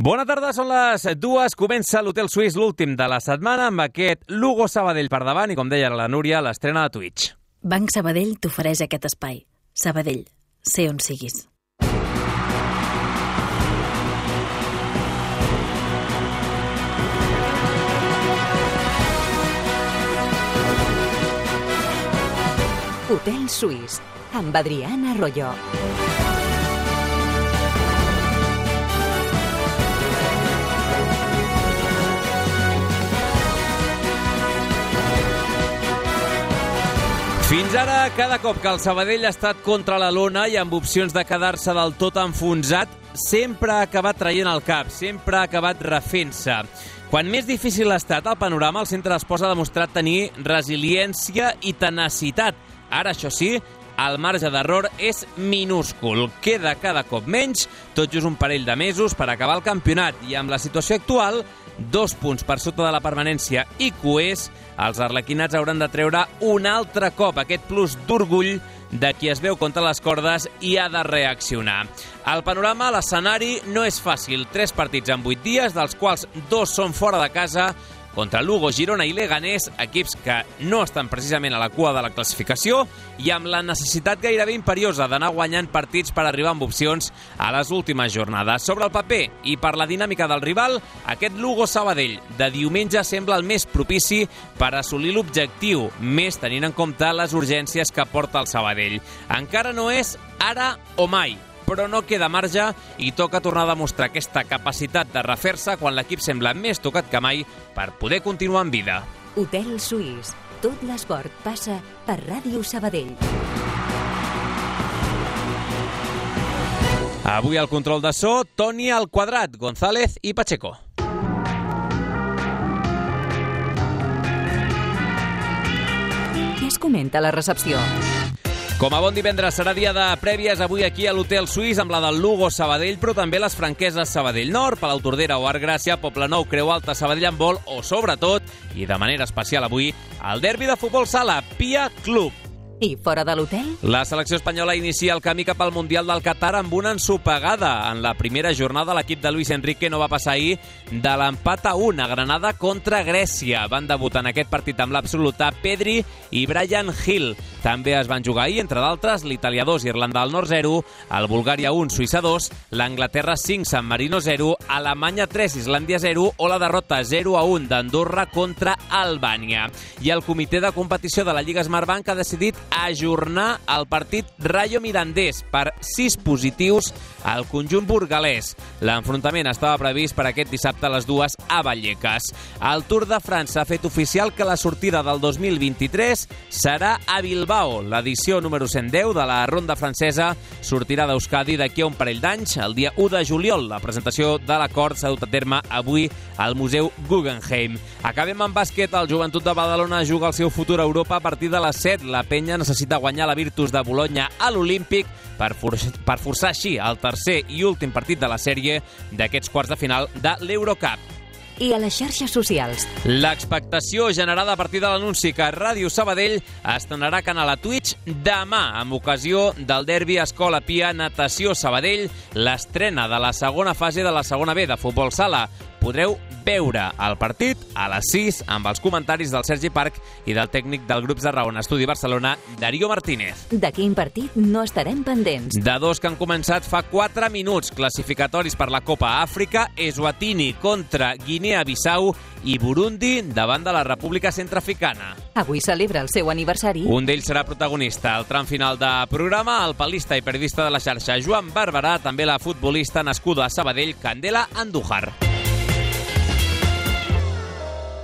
Bona tarda, són les 2. Comença l'Hotel Suís, l'últim de la setmana, amb aquest Lugo Sabadell per davant i, com deia la Núria, l'estrena de Twitch. Banc Sabadell t'ofereix aquest espai. Sabadell, sé on siguis. Hotel Suís, amb Adriana Arroyo. Fins ara, cada cop que el Sabadell ha estat contra la lona i amb opcions de quedar-se del tot enfonsat, sempre ha acabat traient el cap, sempre ha acabat refent-se. Quan més difícil ha estat el panorama, el centre d'Esports ha demostrat tenir resiliència i tenacitat. Ara, això sí, el marge d'error és minúscul. Queda cada cop menys, tot just un parell de mesos per acabar el campionat. I amb la situació actual, 2 punts per sota de la permanència i coers, els arlequinats hauran de treure un altre cop aquest plus d'orgull de qui es veu contra les cordes i ha de reaccionar. El panorama, l'escenari, no és fàcil. 3 partits en 8 dies, dels quals 2 són fora de casa, contra Lugo, Girona i Leganés, equips que no estan precisament a la cua de la classificació i amb la necessitat gairebé imperiosa d'anar guanyant partits per arribar amb opcions a les últimes jornades. Sobre el paper i per la dinàmica del rival, aquest Lugo Sabadell de diumenge sembla el més propici per assolir l'objectiu, més tenint en compte les urgències que porta el Sabadell. Encara no és ara o mai, però no queda marge i toca tornar a demostrar aquesta capacitat de refer-se quan l'equip sembla més tocat que mai per poder continuar en vida. Hotel Suís. Tot l'esport passa per Ràdio Sabadell. Avui al control de so, Toni al quadrat, González i Pacheco. Què es comenta a la recepció? Com a bon divendres serà dia de prèvies avui aquí a l'Hotel Suís amb la del Lugo Sabadell, però també les franqueses Sabadell Nord, Palau Tordera o Arc Gràcia, Poblenou, Creu Alta, Sabadell Handbol o, sobretot, i de manera especial avui, el derbi de futbol sala, Pia Club. I fora de l'hotel? La selecció espanyola inicia el camí cap al Mundial del Qatar amb una ensopegada. En la primera jornada, l'equip de Luis Enrique no va passar ahir de l'empat a 1 a Granada contra Grècia. Van debutar en aquest partit amb l'absoluta Pedri i Bryan Gil. També es van jugar ahir, entre d'altres, l'Itàlia 2, Irlanda del Nord 0, el Bulgària 1, Suïssa 2, l'Anglaterra 5, San Marino 0, Alemanya 3, Islàndia 0 o la derrota 0-1 d'Andorra contra Albània. I el comitè de competició de la Lliga Smartbank ha decidit ajornar el partit Rayo Mirandés per 6 positius al conjunt burgalès. L'enfrontament estava previst per aquest dissabte a les 2 a Vallecas. El Tour de França ha fet oficial que la sortida del 2023 serà a Bilbao. L'edició número 110 de la ronda francesa sortirà d'Euskadi d'aquí a un parell d'anys, el dia 1 de juliol. La presentació de l'acord s'ha dut a terme avui al Museu Guggenheim. Acabem amb bàsquet. El Joventut de Badalona juga el seu futur a Europa a partir de les 7. La penya necessita guanyar la Virtus de Bologna a l'Olímpic per forçar així el tercer i últim partit de la sèrie d'aquests quarts de final de l'Eurocup. I a les xarxes socials? L'expectació generada a partir de l'anunci que Ràdio Sabadell estrenarà canal a Twitch demà amb ocasió del derbi Escola Pia Natació Sabadell, l'estrena de la segona fase de la segona B de futbol sala. Podreu veure el partit a les 6 amb els comentaris del Sergi Parc i del tècnic del Grups de Raon Estudi Barcelona, Darío Martínez. De quin partit no estarem pendents? De 2 que han començat fa 4 minuts, classificatoris per la Copa Àfrica, Eswatini contra Guinea-Bissau i Burundi davant de la República Centreafricana. Avui celebra el seu aniversari. Un d'ells serà protagonista. Al tram final de programa, el palista i periodista de la xarxa Joan Barberà, també la futbolista nascuda a Sabadell, Candela Andújar.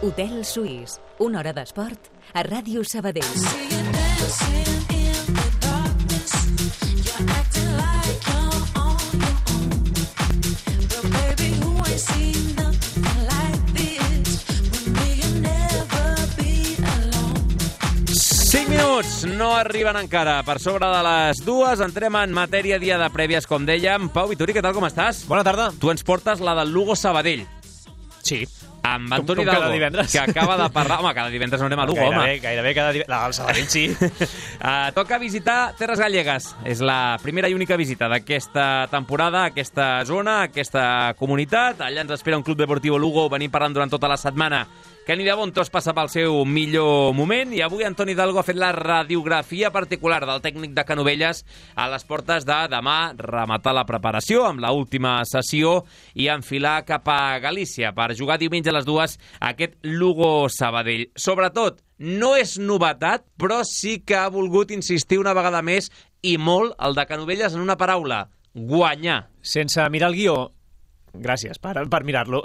Hotel Suís, una hora d'esport a Ràdio Sabadell. Minuts no arriben encara. Per sobre de les 2 entrem en matèria dia de prèvies, com dèiem. Pau Vituri, què tal, com estàs? Bona tarda. Tu ens portes la del Lugo Sabadell. Sí. amb Antoni cada Hidalgo, divendres. que acaba de parlar... Home, cada divendres no anem a Lugo, home. Gairebé cada divendres. El Sabadell sí. Toca visitar Terres Gallegues. És la primera i única visita d'aquesta temporada, aquesta zona, aquesta comunitat. Allà ens espera un Club Deportiu Lugo. Venim parlant durant tota la setmana que Nida Bontos passa pel seu millor moment i avui Antoni Hidalgo ha fet la radiografia particular del tècnic de Canovelles a les portes de demà rematar la preparació amb l'última sessió i enfilar cap a Galícia per jugar diumenge a les 2 aquest Lugo-Sabadell. Sobretot, no és novetat, però sí que ha volgut insistir una vegada més i molt el de Canovelles en una paraula, guanyar. Sense mirar el guió, gràcies per mirar-lo.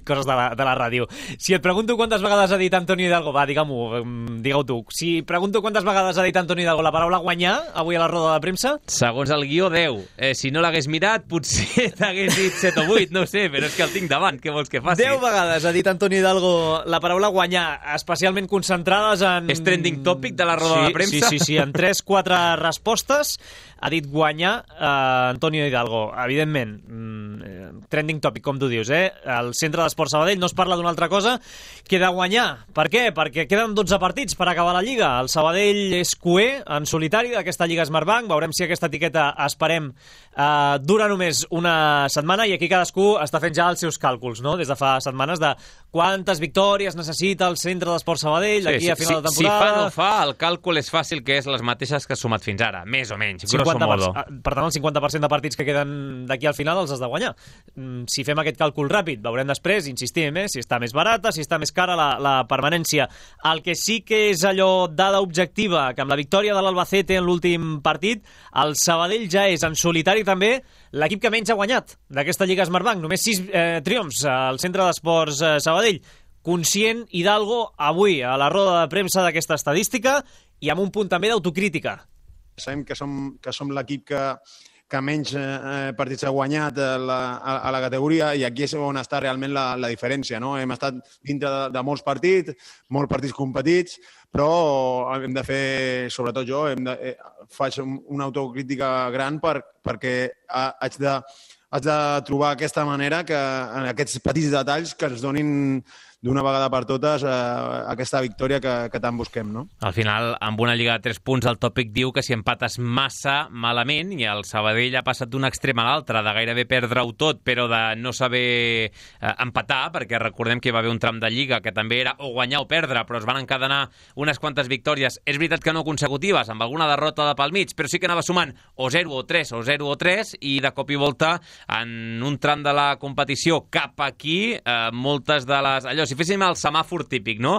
Coses de la ràdio. Si et pregunto quantes vegades ha dit Antoni Hidalgo, va, digue-ho tu. Si pregunto quantes vegades ha dit Antoni Hidalgo la paraula guanyar avui a la roda de premsa... Segons el guió, 10. Si no l'hagués mirat, potser t'hagués dit 7 o 8, no ho sé, però és que el tinc davant, què vols que faci? 10 vegades ha dit Antoni Hidalgo la paraula guanyar, especialment concentrades en... És trending topic de la roda de premsa? Sí, en 3-4 respostes ha dit guanyar Antonio Hidalgo. Evidentment, trending topic, com tu dius, al centre d'Esport Sabadell no es parla d'una altra cosa que de guanyar. Per què? Perquè queden 12 partits per acabar la Lliga. El Sabadell és cuer en solitari d'aquesta Lliga Smartbank. Veurem si aquesta etiqueta, esperem, dura només una setmana i aquí cadascú està fent ja els seus càlculs, no? Des de fa setmanes de quantes victòries necessita el centre d'Esport Sabadell d'aquí a final de temporada. Si fa no fa, el càlcul és fàcil, que és les mateixes que ha sumat fins ara, més o menys, grosso modo. Per tant, el 50% de partits que queden d'aquí al final els has de guanyar. Si fem aquest càlcul ràpid, veurem després, insistim, si està més barata, si està més cara la permanència. El que sí que és allò dada objectiva, que amb la victòria de l'Albacete en l'últim partit, el Sabadell ja és en solitari també l'equip que menys ha guanyat d'aquesta Lliga Smartbank. Només 6 triomfs al centre d'Esports Sabadell. Conscient Hidalgo avui a la roda de premsa d'aquesta estadística i amb un punt també d'autocrítica. Sabem que som l'equip que menys partits ha guanyat a la categoria i aquí és on està realment la diferència, no? Hem estat dintre de molts partits competits, però hem de fer, sobretot jo, faig una autocrítica gran perquè haig de trobar aquesta manera, en aquests petits detalls que ens donin d'una vegada per totes aquesta victòria que tant busquem, no? Al final, amb una lliga de 3 punts, el tòpic diu que si empates massa malament, i el Sabadell ha passat d'un extrem a l'altre, de gairebé perdre-ho tot, però de no saber empatar, perquè recordem que hi va haver un tram de lliga que també era o guanyar o perdre, però es van encadenar unes quantes victòries. És veritat que no consecutives, amb alguna derrota de pel mig, però sí que anava sumant o 0 o 3 o 0 o 3, i de cop i volta, en un tram de la competició cap aquí, moltes de les... Allò, si féssim el semàfor típic, no?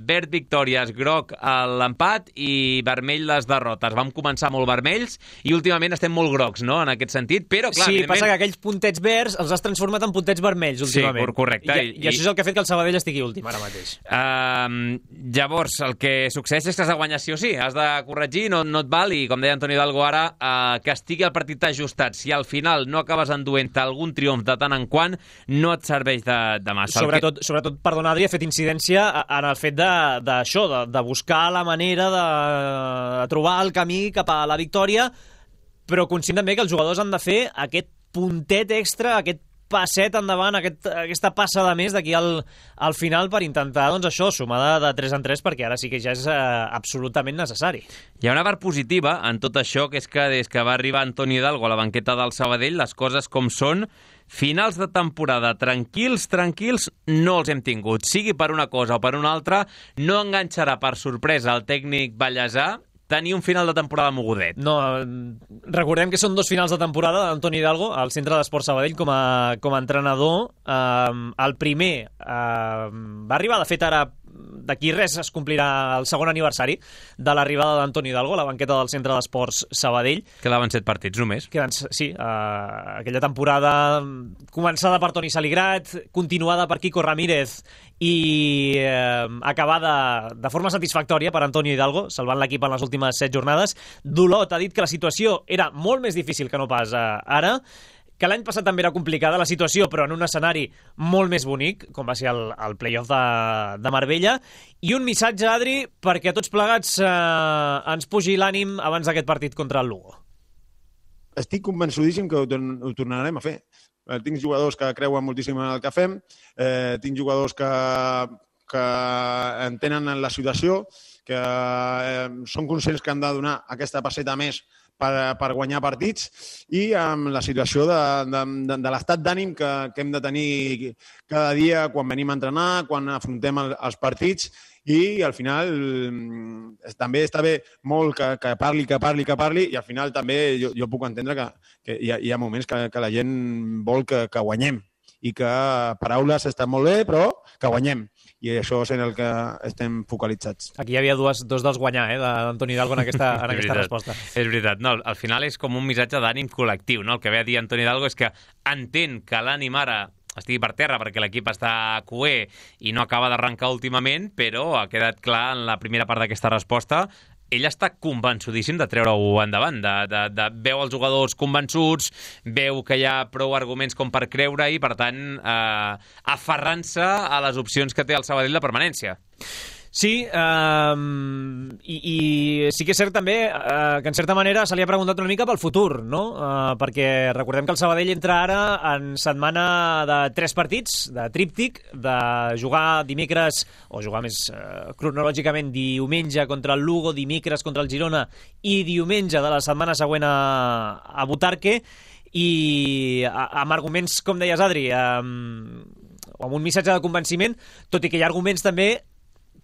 Verd victòries, groc l'empat i vermell les derrotes. Vam començar molt vermells i últimament estem molt grocs, no?, en aquest sentit, però clar... Sí, passa que aquells puntets verds els has transformat en puntets vermells últimament. Sí, correcte. I això és el que ha fet que el Sabadell estigui últim ara mateix. Llavors, el que succeeix és que has de guanyar sí o sí, has de corregir, no et val, i com deia Antoni Hidalgo ara, que estigui el partit ajustat. Si al final no acabes enduent algun triomf de tant en quant, no et serveix de massa. Sobretot, perdona, Adri, ha fet incidència en el fet d'això, de buscar la manera de trobar el camí cap a la victòria, però conscient també que els jugadors han de fer aquest puntet extra, aquest passet endavant, aquesta passa de més d'aquí al final per intentar, doncs això, sumar de 3 en 3, perquè ara sí que ja és absolutament necessari. Hi ha una part positiva en tot això, que és que des que va arribar Antoni Hidalgo a la banqueta del Sabadell, les coses com són, finals de temporada tranquils no els hem tingut. Sigui per una cosa o per una altra, no enganxarà per sorpresa el tècnic ballesà tenir un final de temporada mogudet. No, recordem que són 2 finals de temporada d'Antoni Hidalgo al centre d'Esport Sabadell com a entrenador. El primer va arribar, de fet, ara d'aquí res es complirà el segon aniversari de l'arribada d'Antoni Hidalgo a la banqueta del centre d'Esports Sabadell. Quedaven 7 partits només. Sí, aquella temporada començada per Toni Saligrat, continuada per Quico Ramírez i acabada de forma satisfactòria per Antoni Hidalgo, salvant l'equip en les últimes 7 jornades. Dolot ha dit que la situació era molt més difícil que no pas ara, que l'any passat també era complicada la situació, però en un escenari molt més bonic, com va ser el play-off de Marbella, i un missatge, Adri, perquè a tots plegats ens pugi l'ànim abans d'aquest partit contra el Lugo. Estic convençudíssim que ho tornarem a fer. tinc jugadors que creuen moltíssim en el que fem, tinc jugadors que entenen la situació, que són conscients que han de donar aquesta passeta més per guanyar partits i amb la situació de l'estat d'ànim que hem de tenir cada dia quan venim a entrenar, quan afrontem els partits i al final també està bé molt que parli i al final també jo puc entendre que hi ha moments que la gent vol que guanyem i que paraules estan molt bé però que guanyem. I això és en el que estem focalitzats. Aquí hi havia dos dels guanyar, d'Antoni Hidalgo en aquesta resposta. És veritat. No, al final és com un missatge d'ànim col·lectiu, no? El que ve a dir Antoni Hidalgo és que entén que l'ànim ara estigui per terra perquè l'equip està cuer i no acaba d'arrencar últimament, però ha quedat clar en la primera part d'aquesta resposta ell està convençudíssim de treure-ho endavant, de veu els jugadors convençuts, veu que hi ha prou arguments com per creure i, per tant, aferrant-se a les opcions que té el Sabadell de permanència. Sí, i sí que és cert també que en certa manera se li ha preguntat una mica pel futur, no? Perquè recordem que el Sabadell entra ara en setmana de 3 partits, de tríptic, de jugar dimecres, o jugar més cronològicament diumenge contra el Lugo, dimecres contra el Girona i diumenge de la setmana següent a Butarque, i amb arguments, com deies, Adri, amb un missatge de convenciment, tot i que hi ha arguments també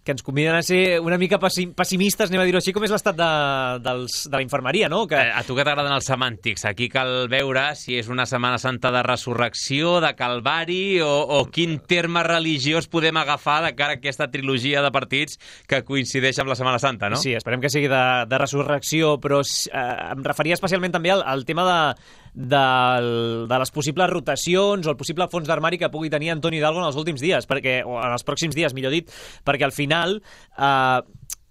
que ens conviden a ser una mica pessimistes, anem a dir-ho així, com és l'estat de la infermeria, no? A tu que t'agraden els semàntics, aquí cal veure si és una Setmana Santa de resurrecció, de calvari, o quin terme religiós podem agafar de cara a aquesta trilogia de partits que coincideix amb la Setmana Santa, no? Sí, esperem que sigui de resurrecció, però em referia especialment també al tema de les possibles rotacions o el possible fons d'armari que pugui tenir Antoni Hidalgo en els últims dies, o en els pròxims dies, millor dit, perquè al final,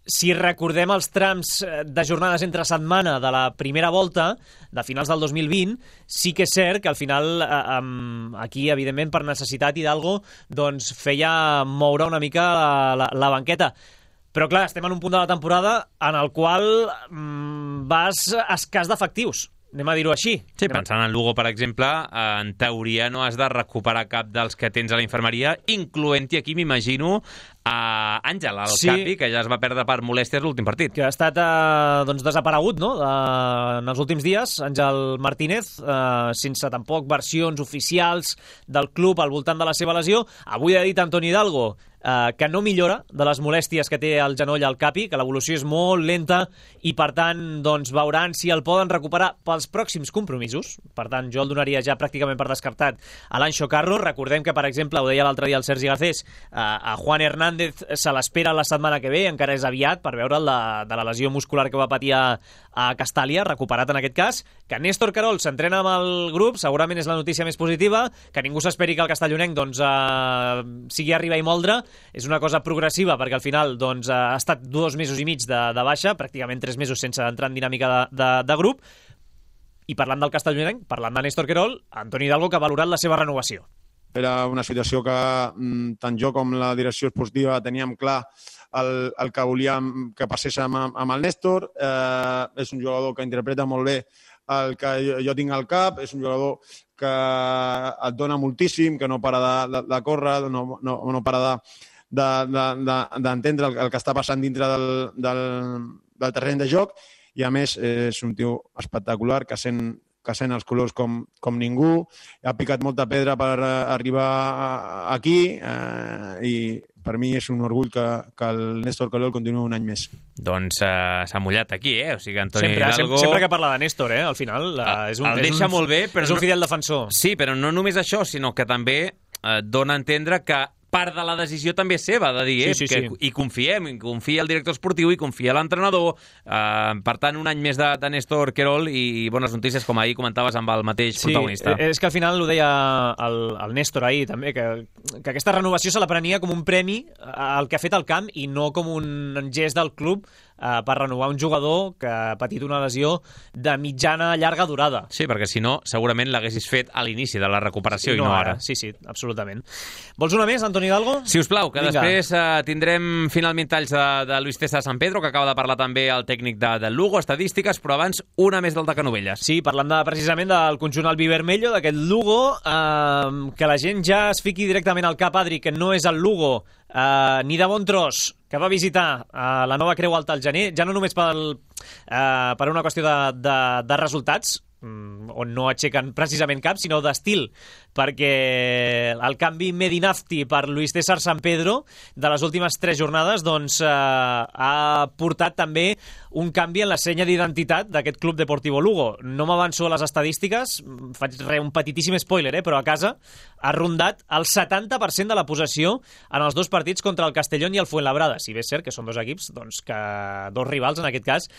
si recordem els trams de jornades entre setmana de la primera volta, de finals del 2020, sí que és cert que al final, aquí, evidentment, per necessitat, Hidalgo doncs, feia moure una mica la banqueta. Però, clar, estem en un punt de la temporada en el qual vas escàs d'efectius. Anem a dir-ho així. Sí, pensant en Lugo, per exemple, en teoria no has de recuperar cap dels que tens a la infermeria, incloent-hi aquí, m'imagino, a Àngel, el Capi, que ja es va perdre per molèsties l'últim partit. Que ha estat desaparegut, no?, en els últims dies, Àngel Martínez, sense tampoc versions oficials del club al voltant de la seva lesió. Avui ha dit Antoni Hidalgo que no millora de les molèsties que té al genoll al Capi, que l'evolució és molt lenta i, per tant, doncs, veuran si el poden recuperar pels pròxims compromisos. Per tant, jo el donaria ja pràcticament per descartat a l'Anxo Carro. Recordem que, per exemple, ho deia l'altre dia el Sergi Garcés, a Juan Hernández se l'espera la setmana que ve, encara és aviat per veure'l de la lesió muscular que va patir a Castàlia, recuperat en aquest cas. Que Néstor Querol s'entrena amb el grup, segurament és la notícia més positiva. Que ningú s'esperi que el castellonenc doncs, sigui arribar i moldre. És una cosa progressiva perquè al final doncs, ha estat 2 mesos i mig de baixa, pràcticament 3 mesos sense entrar en dinàmica de grup. I parlant del castellonenc, parlant de Néstor Querol, Antoni Hidalgo, que ha valorat la seva renovació. Era una situació que tant jo com la direcció esportiva teníem clar el que volíem que passés amb el Néstor. És un jugador que interpreta molt bé el que jo tinc al cap, és un jugador que et dona moltíssim, que no para de córrer, no para d'entendre el que està passant dintre del terreny de joc, i a més és un tio espectacular que sent els colors com ningú, ha picat molta pedra per arribar aquí i per mi és un orgull que el Néstor Querol continuï un any més. Doncs s'ha mullat aquí, O sigui, Antoni Hidalgo... Sempre que parla de Néstor, al final el deixa molt bé, però és un fidel defensor. Sí, però no només això, sinó que també dona a entendre que part de la decisió també és seva, de dir, sí. i confiem, confia el director esportiu i confia l'entrenador. Per tant, un any més de Néstor Querol i bones notícies, com ahir comentaves amb el mateix protagonista. Sí, és que al final ho deia el Néstor ahir també, que aquesta renovació se la prenia com un premi al que ha fet al camp i no com un gest del club per renovar un jugador que ha patit una lesió de mitjana a llarga durada. Sí, perquè si no, segurament l'haguessis fet a l'inici de la recuperació i no ara. Sí, absolutament. Vols una més, Antoni Hidalgo? Si us plau, que Vinga. després tindrem finalment talls de Luis César San Pedro, que acaba de parlar també el tècnic del Lugo, estadístiques, però abans una més del de Canovelles. Sí, parlant precisament del conjunt albivermello, d'aquest Lugo, que la gent ja es fiqui directament al cap, Adri, que no és el Lugo ni de bon tros, que va visitar la nova Creu Alta al gener, ja no només per una qüestió de resultats, on no aixequen precisament cap, sinó d'estil, perquè el canvi Medinafti per Luis César San Pedro de les últimes 3 jornades doncs, ha portat també un canvi en la senya d'identitat d'aquest Club Deportivo Lugo. No m'avanço a les estadístiques, faig un petitíssim spoiler, però a casa ha rondat el 70% de la possessió en els 2 partits contra el Castellón i el Fuenlabrada, si bé és cert que són 2 equips, doncs, dos rivals en aquest cas,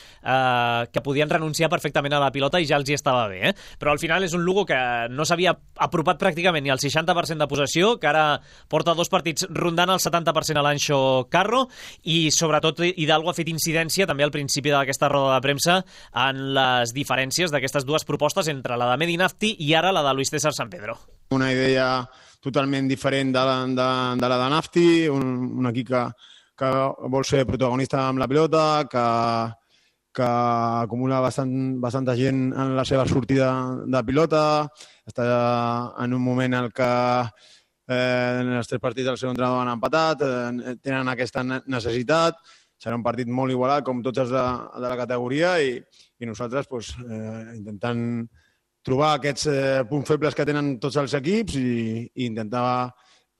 que podien renunciar perfectament a la pilota i ja els hi estava bé. Però al final és un Lugo que no s'havia apropat pràcticament ni al 60% de possessió, que ara porta 2 partits rondant el 70% a l'Anxo Carro, i sobretot Hidalgo ha fet incidència també al principi d'aquesta roda de premsa en les diferències d'aquestes 2 propostes entre la de Medinafti i ara la de Luis César San Pedro. Una idea totalment diferent de la de Nafti, un equip que vol ser protagonista amb la pilota, que acumula bastanta gent en la seva sortida de pilota, està en un moment en què en els 3 partits del segon entrenador han empatat, tenen aquesta necessitat, serà un partit molt igualat com tots els de la categoria i nosaltres intentant trobar aquests punts febles que tenen tots els equips i intentar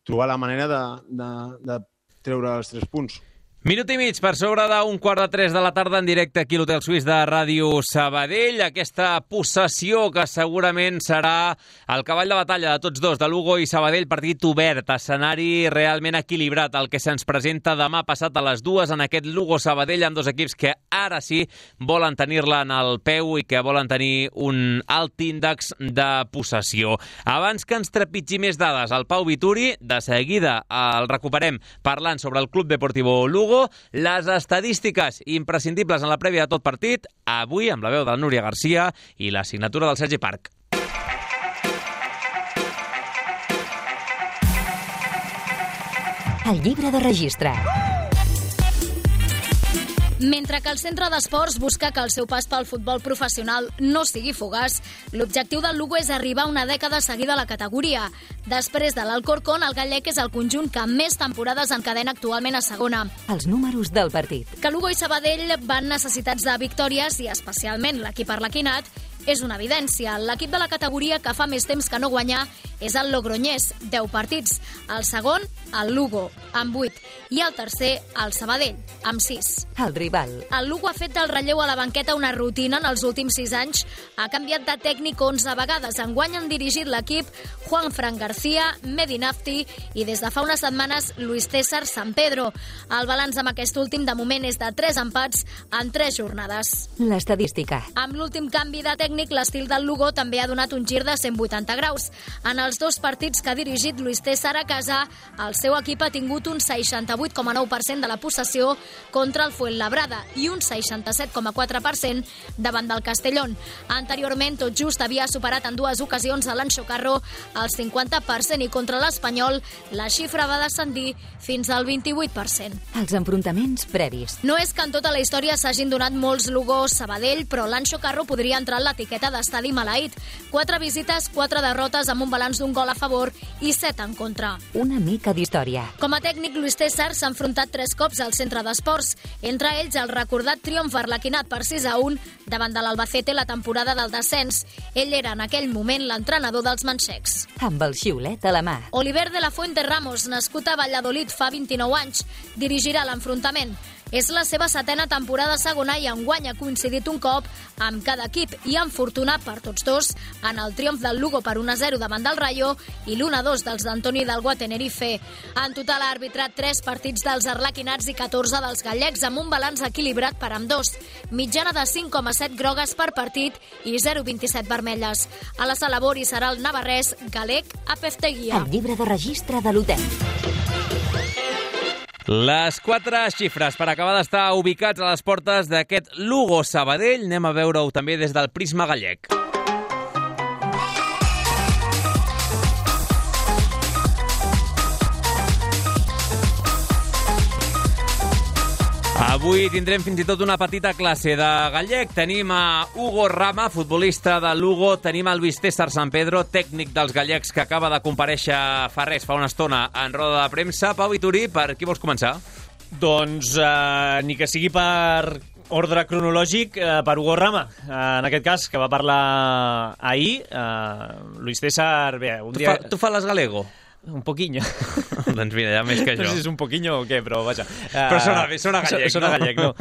trobar la manera de treure els 3 punts. Minut i mig per sobre d'un 2:45 de la tarda en directe aquí a l'Hotel Suís de Ràdio Sabadell. Aquesta possessió que segurament serà el cavall de batalla de tots dos, de Lugo i Sabadell, partit obert, escenari realment equilibrat, el que se'ns presenta demà passat a les 2 en aquest Lugo-Sabadell, amb 2 equips que ara sí volen tenir-la en el peu i que volen tenir un alt índex de possessió. Abans que ens trepitgi més dades, el Pau Vituri, de seguida el recuperem parlant sobre el Club Deportivo Lugo. Les estadístiques imprescindibles en la prèvia de tot partit, avui amb la veu de la Núria Garcia i la signatura del Sergi Parc. El llibre de registre. Mentre que el centre d'esports busca que el seu pas pel futbol professional no sigui fugaç, l'objectiu del Lugo és arribar a una dècada seguida a la categoria. Després de l'Alcorcón, el gallec és el conjunt que més temporades encadena actualment a segona. Els números del partit. Que Lugo i Sabadell van necessitats de victòries i especialment l'equip arlequinat és una evidència. L'equip de la categoria que fa més temps que no guanyar és el Logroñés, 10 partits. El segon, el Lugo, amb 8. I el tercer, el Sabadell, amb 6. El rival. El Lugo ha fet del relleu a la banqueta una rutina en els últims 6 anys. Ha canviat de tècnic 11 vegades. Enguany han dirigit l'equip Juanfran García, Medinafti i des de fa unes setmanes Luis César San Pedro. El balanç amb aquest últim de moment és de 3 empats en 3 jornades. L'estadística. Amb l'últim canvi de tècnic, l'estil del Lugo també ha donat un gir de 180 graus. En els 2 partits que ha dirigit Luis César a casa, el seu equip ha tingut un 68,9% de la possessió contra el Fuenlabrada i un 67,4% davant del Castellón. Anteriorment, tot just havia superat en 2 ocasions a l'Anxo Carro el 50% i contra l'Espanyol la xifra va descendir fins al 28%. Els enfrontaments previs. No és que en tota la història s'hagin donat molts Lugo-Sabadell, però l'Anxo Carro podria entrar en l'etiqueta d'estadi maleït. 4 visites, 4 derrotes amb un balanç d'un gol a favor i 7 en contra. Una mica d'història. Com a tècnic, Luis César s'ha enfrontat 3 cops al centre d'esports, entre ells el recordat triomf arlequinat per 6-1 davant de l'Albacete la temporada del descens. Ell era en aquell moment l'entrenador dels manxecs. Amb el xiulet a la mà. Oliver de la Fuente Ramos, nascut a Valladolid fa 29 anys, dirigirà l'enfrontament. És la seva 7a temporada segona i enguany ha coincidit un cop amb cada equip i enfortunat per tots dos en el triomf del Lugo per 1-0 davant del Rayo i l'1-2 dels d'Antoni Hidalgo a Tenerife. En total ha arbitrat 3 partits dels arlequinats i 14 dels gallecs amb un balanç equilibrat per ambdós. Mitjana de 5,7 grogues per partit i 0,27 vermelles. A la sala Bori serà el navarrès Galec Apefteguia. El llibre de registre de l'hotel. Les 4 xifres per acabar d'estar ubicats a les portes d'aquest Lugo-Sabadell. Anem a veure-ho també des del prisma gallec. Avui tindrem fins i tot una petita classe de gallec. Tenim a Hugo Rama, futbolista de Lugo. Tenim a Luis César San Pedro, tècnic dels gallecs, que acaba de comparèixer fa una estona en roda de premsa. Pau Vitorí, per qui vols començar? Doncs ni que sigui per ordre cronològic, per Hugo Rama, en aquest cas, que va parlar ahir. Luis César, bé, un dia... Tu fales galego? Un poquinho. Doncs mira, ja més que jo. No sé si és un poquinho o què, però vaja. Però sona gallec, sona gallec, no?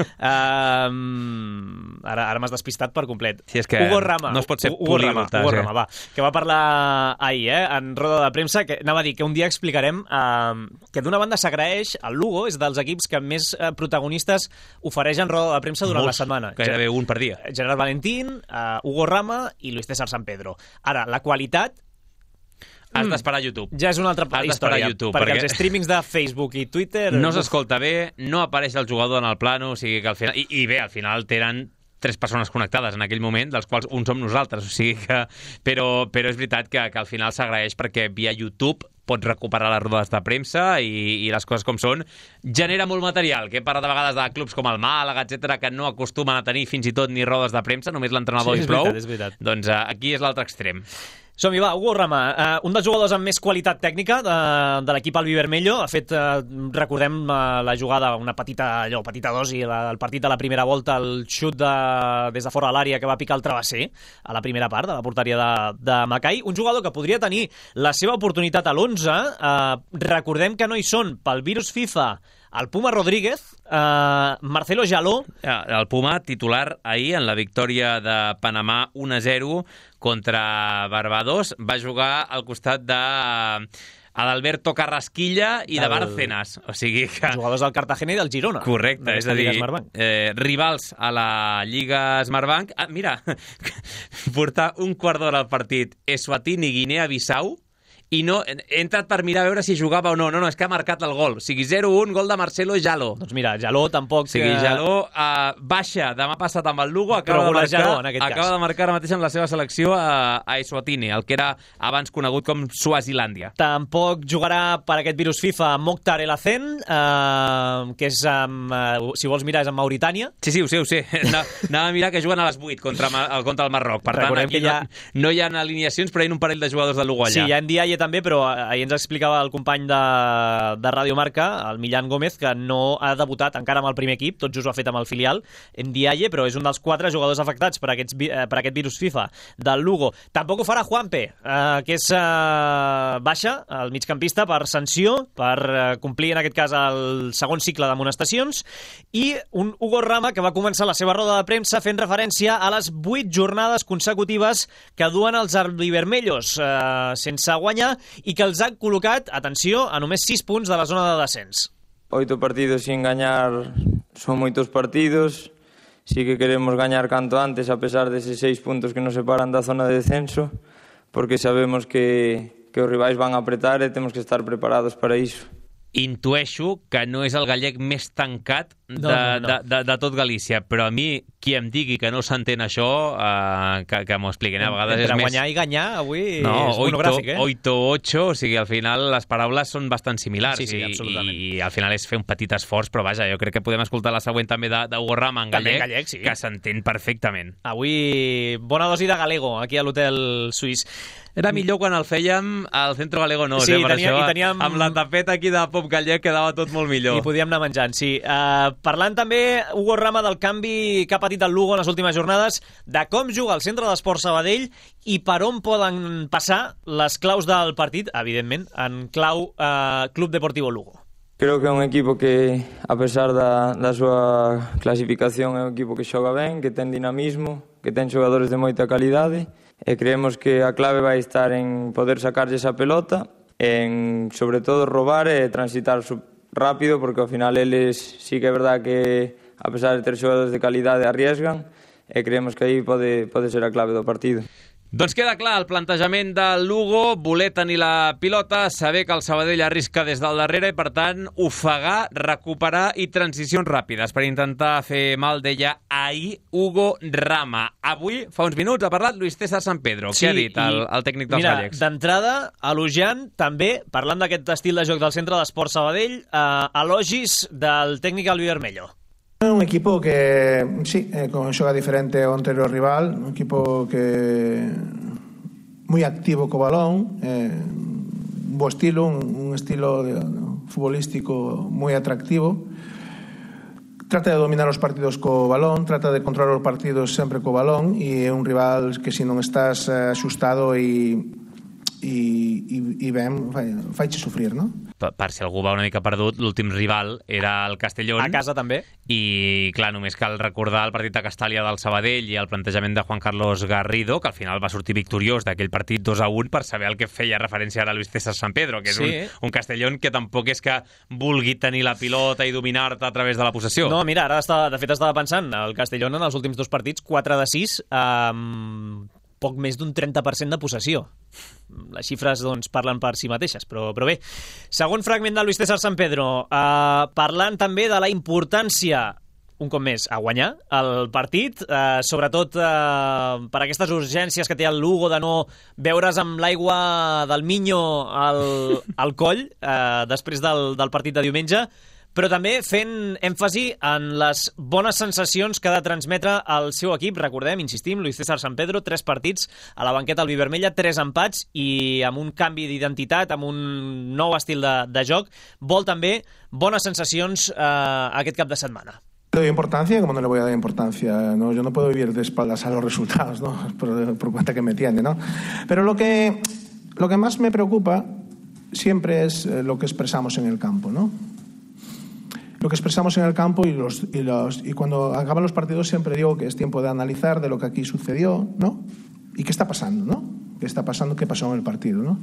Ara m'has despistat per complet. Sí, és que Hugo Rama, no es pot ser políglot. Hugo Rama, va, que va parlar ahir, en roda de premsa, que anava a dir que un dia explicarem que d'una banda s'agraeix, el Lugo és dels equips que més protagonistes ofereix en roda de premsa durant la setmana. Gairebé un per dia. Gerard Valentín, Hugo Rama i Luis César San Pedro. Ara, la qualitat... Has d'esperar a YouTube. Ja és una altra història, YouTube, perquè els streamings de Facebook i Twitter... No s'escolta bé, no apareix el jugador en el plano, o sigui que al final... I bé, al final tenen 3 persones connectades en aquell moment, dels quals un som nosaltres, o sigui que... Però és veritat que al final s'agraeix perquè via YouTube pots recuperar les rodes de premsa i les coses com són. Genera molt material, que he parlat de vegades de clubs com el Màlaga, etc que no acostumen a tenir fins i tot ni rodes de premsa, només l'entrenador i prou. És veritat. Doncs aquí és l'altre extrem. Som-hi, va, Hugo Rama, un dels jugadors amb més qualitat tècnica de l'equip albivermello. Ha fet, recordem, la jugada, una petita dosi, el partit de la primera volta, el xut des de fora de l'àrea que va picar el travesser a la primera part de la porteria de Macai. Un jugador que podria tenir la seva oportunitat a l'11. Recordem que no hi són pel virus FIFA el Puma Rodríguez, Marcelo Jaló... El Puma titular ahir en la victòria de Panamà 1-0 contra Barbados. Va jugar al costat de Adalberto Carrasquilla i de Bárcenas. O sigui que... Jugadors del Cartagena i del Girona. Correcte, és a dir, rivals a la Lliga Smartbank. Mira, portar un quart d'hora al partit Eswatini i Guinea-Bissau i no, he entrat per mirar a veure si jugava o no. No, és que ha marcat el gol. O sigui, 0-1, gol de Marcelo Jaló. Doncs mira, Jaló tampoc... O sigui, Jaló baixa demà passat amb el Lugo, acaba de marcar ara mateix amb la seva selecció a Eswatini, el que era abans conegut com Suazilàndia. Tampoc jugarà per aquest virus FIFA Mokhtar El Hacen, que és, si vols mirar, és en Mauritània. Sí, ho sé. Anava a mirar que juguen a les 8 contra el Marroc. Per tant, aquí no hi ha alineacions, però hi ha un parell de jugadors de Lugo allà. Sí, hi ha Ndiaye també, però ahir ens explicava el company de Ràdio Marca, el Millán Gómez, que no ha debutat encara amb el primer equip, tot just ho ha fet amb el filial, Ndiaye, però és un dels 4 jugadors afectats per aquest virus FIFA del Lugo. Tampoc ho farà Juanpe, que és baixa, el migcampista, per sanció, per complir en aquest cas el segon cicle d'amonestacions, i un Hugo Rama que va començar la seva roda de premsa fent referència a les 8 jornades consecutives que duen els albivermellos sense guanyar, i que els han col·locat, atenció, a només 6 punts de la zona de descens. 8 partidos sin gañar son moitos partidos. Sí que queremos gañar canto antes, a pesar de esos 6 puntos que nos separan da zona de descenso, porque sabemos que os rivais van a apretar e temos que estar preparados para iso. Intueixo que no és el gallec més tancat de tot Galícia, però a mi, qui em digui que no s'entén això, que m'ho expliquen. A vegades és més... guanyar i ganyar, avui és monogràfic, 8-8, o sigui, al final les paraules són bastant similars. Sí, absolutament. I al final és fer un petit esforç, però vaja, jo crec que podem escoltar la següent també d'Hugo Rama en gallec, sí, que s'entén perfectament. Avui, bona dosi de galego, aquí a l'hotel suís. Era millor quan el fèiem al Centro Galego Nos, sí, per això, teníem... amb la tapeta aquí de pop gallec quedava tot molt millor. I podíem anar menjant, sí. Parlant també, Hugo Rama, del canvi que ha patit el Lugo en les últimes jornades, de com juga el Centre d'Esports Sabadell i per on poden passar les claus del partit, evidentment, en clau Club Deportivo Lugo. Creo que é un equipo que, a pesar da súa clasificación, é un equipo que xoga ben, que ten dinamismo, que ten xogadores de moita calidade, e creemos que a clave vai estar en poder sacarlle esa pelota, en, sobre todo, robar e transitar rápido, porque ao final eles sí que é verdad que, a pesar de ter xogadores de calidade, arriesgan, e creemos que aí pode ser a clave do partido. Doncs queda clar el plantejament del Lugo, voler tenir la pilota, saber que el Sabadell arrisca des del darrere i, per tant, ofegar, recuperar i transicions ràpides per intentar fer mal, deia ahir Hugo Rama. Avui, fa uns minuts, ha parlat Luis César Sampedro. Què ha dit el tècnic dels gallecs? Mira, d'entrada, elogiant també, parlant d'aquest estil de joc del Centre d'Esports Sabadell, elogis del tècnic albivernello. Un equipo que, sí, xoga diferente ao anterior rival, un equipo que moi activo co balón, un bo estilo, un estilo futbolístico moi atractivo. Trata de dominar os partidos co balón, trata de controlar os partidos sempre co balón, e é un rival que se non estás axustado e ben, faixe sofrir, no? Per si algú va una mica perdut, l'últim rival era el Castellón. A casa també. I, clar, només cal recordar el partit de Castàlia del Sabadell i el plantejament de Juan Carlos Garrido, que al final va sortir victoriós d'aquell partit 2-1 per saber el que feia referència ara a Luis César Sampedro, que és un Castellón que tampoc és que vulgui tenir la pilota i dominar-te a través de la possessió. No, mira, ara de fet estava pensant, el Castellón en els últims 2 partits, 4 de 6, poc més d'un 30% de possessió. Les xifres doncs, parlen per si mateixes, però bé. Segon fragment de Luis César Sampedro, parlant també de la importància, un cop més, a guanyar el partit, sobretot per aquestes urgències que té el Lugo de no veure's amb l'aigua del Minyo al coll després del partit de diumenge, però també fent èmfasi en les bones sensacions que ha de transmetre el seu equip. Recordem, insistim, Luis César Sampedro, 3 partits a la banqueta albivernella, 3 empats i amb un canvi d'identitat, amb un nou estil de joc. Vol també bones sensacions aquest cap de setmana. Le doy importancia, como no le voy a dar importancia, ¿no? Yo no puedo vivir de espaldas a los resultados, ¿no? Por cuenta que me tiende, ¿no? Pero lo que más me preocupa siempre es lo que expresamos en el campo, ¿no? Lo que expresamos en el campo y cuando acaban los partidos siempre digo que es tiempo de analizar de lo que aquí sucedió, ¿no? Y qué está pasando, ¿no? ¿Qué está pasando? ¿Qué pasó en el partido, ¿no?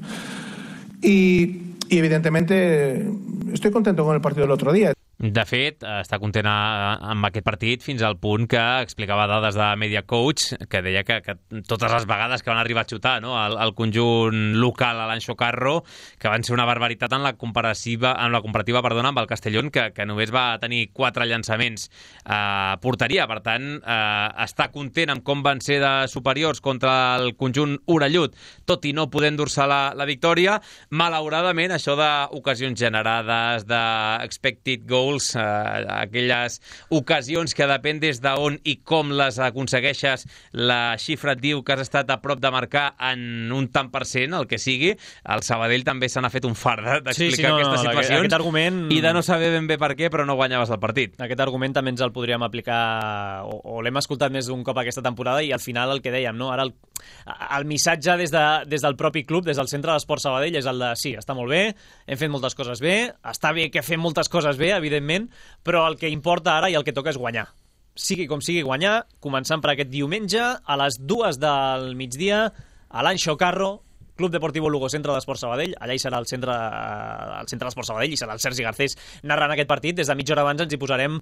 Y evidentemente estoy contento con el partido del otro día. De fet, està content amb aquest partit fins al punt que explicava dades de Media Coach, que deia que totes les vegades que van arribar a xutar, no, el conjunt local a l'Anxo Carro, que van ser una barbaritat en la comparativa amb el Castellón, que només va tenir 4 llançaments a porteria. Per tant, està content amb com van ser de superiors contra el conjunt orellut, tot i no poder endur-se la victòria. Malauradament, això d'ocasions generades, d'expected goals, aquelles ocasions que depèn des d'on i com les aconsegueixes, la xifra et diu que has estat a prop de marcar en un tant per cent, el que sigui. El Sabadell també se n'ha fet un fart d'explicar aquestes situacions aquest argument... i de no saber ben bé per què, però no guanyaves el partit. Aquest argument també ens el podríem aplicar, o l'hem escoltat més d'un cop aquesta temporada, i al final el que dèiem, no? Ara el missatge des del propi club, des del Centre d'Esports Sabadell, és el de sí, està molt bé, hem fet moltes coses bé, està bé que fem moltes coses bé, evidentment, però el que importa ara i el que toca és guanyar. Sigui com sigui guanyar, començant per aquest diumenge a les 2 del migdia a l'Anxo Carro, Club Deportivo Lugo, Centre d'Esports Sabadell. Allà hi serà el centre d'Esports Sabadell i serà el Sergi Garcés narrant aquest partit. Des de mitja hora abans ens hi posarem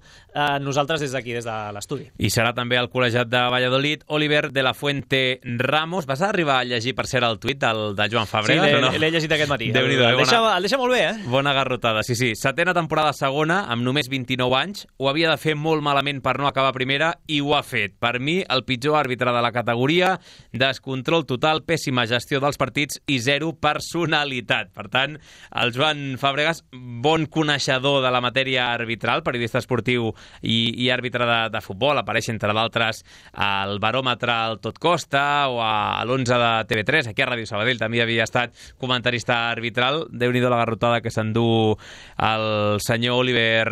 nosaltres des d'aquí, des de l'estudi. I serà també el col·legiat de Valladolid, Oliver de la Fuente Ramos. Vas arribar a llegir, per cert, el tuit de Joan Fabregas? Sí, o no? l'he llegit aquest matí. El deixa molt bé, eh? Bona garrotada, sí. 7a temporada segona, amb només 29 anys. Ho havia de fer molt malament per no acabar primera i ho ha fet. Per mi, el pitjor àrbitre de la categoria, descontrol total, pèssima gestió dels partits i 0 personalitat. Per tant, el Joan Fabregas, bon coneixedor de la matèria arbitral, periodista esportiu i àrbitre de futbol, apareix entre d'altres al Baròmetre al Tot Costa o a l'11 de TV3, aquí a Ràdio Sabadell també havia estat comentarista arbitral. Déu-n'hi-do la garrotada que s'endú el senyor Oliver,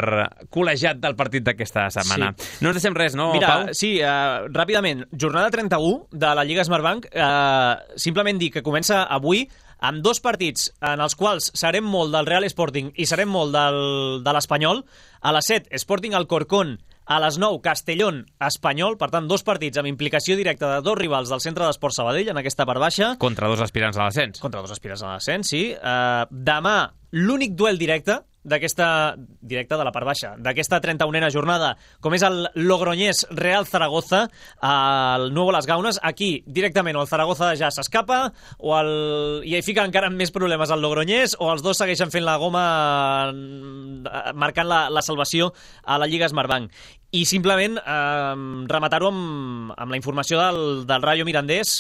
col·legiat del partit d'aquesta setmana. Sí. No ens deixem res, no, Mira, Pau? Sí, ràpidament, jornada 31 de la Lliga Smartbank, simplement dir que comença avui amb 2 partits en els quals serem molt del Real Sporting i serem molt de l'Espanyol. A les 7, Sporting Alcorcón. A les 9, Castellón Espanyol. Per tant, 2 partits amb implicació directa de 2 rivals del Centre d'Esports Sabadell en aquesta part baixa. Contra 2 aspirants a l'ascens. Contra 2 aspirants a l'ascens, sí. Demà, l'únic duel directe directe de la part baixa, d'aquesta 31a jornada, com és el Logroñés Real Zaragoza, el Nuevo Las Gaunes. Aquí, directament, o el Zaragoza ja s'escapa, i hi fica encara més problemes el Logroñés, o els dos segueixen fent la goma, marcant la salvació a la Lliga Smartbank. I simplement rematar-ho amb la informació del Rayo Mirandés,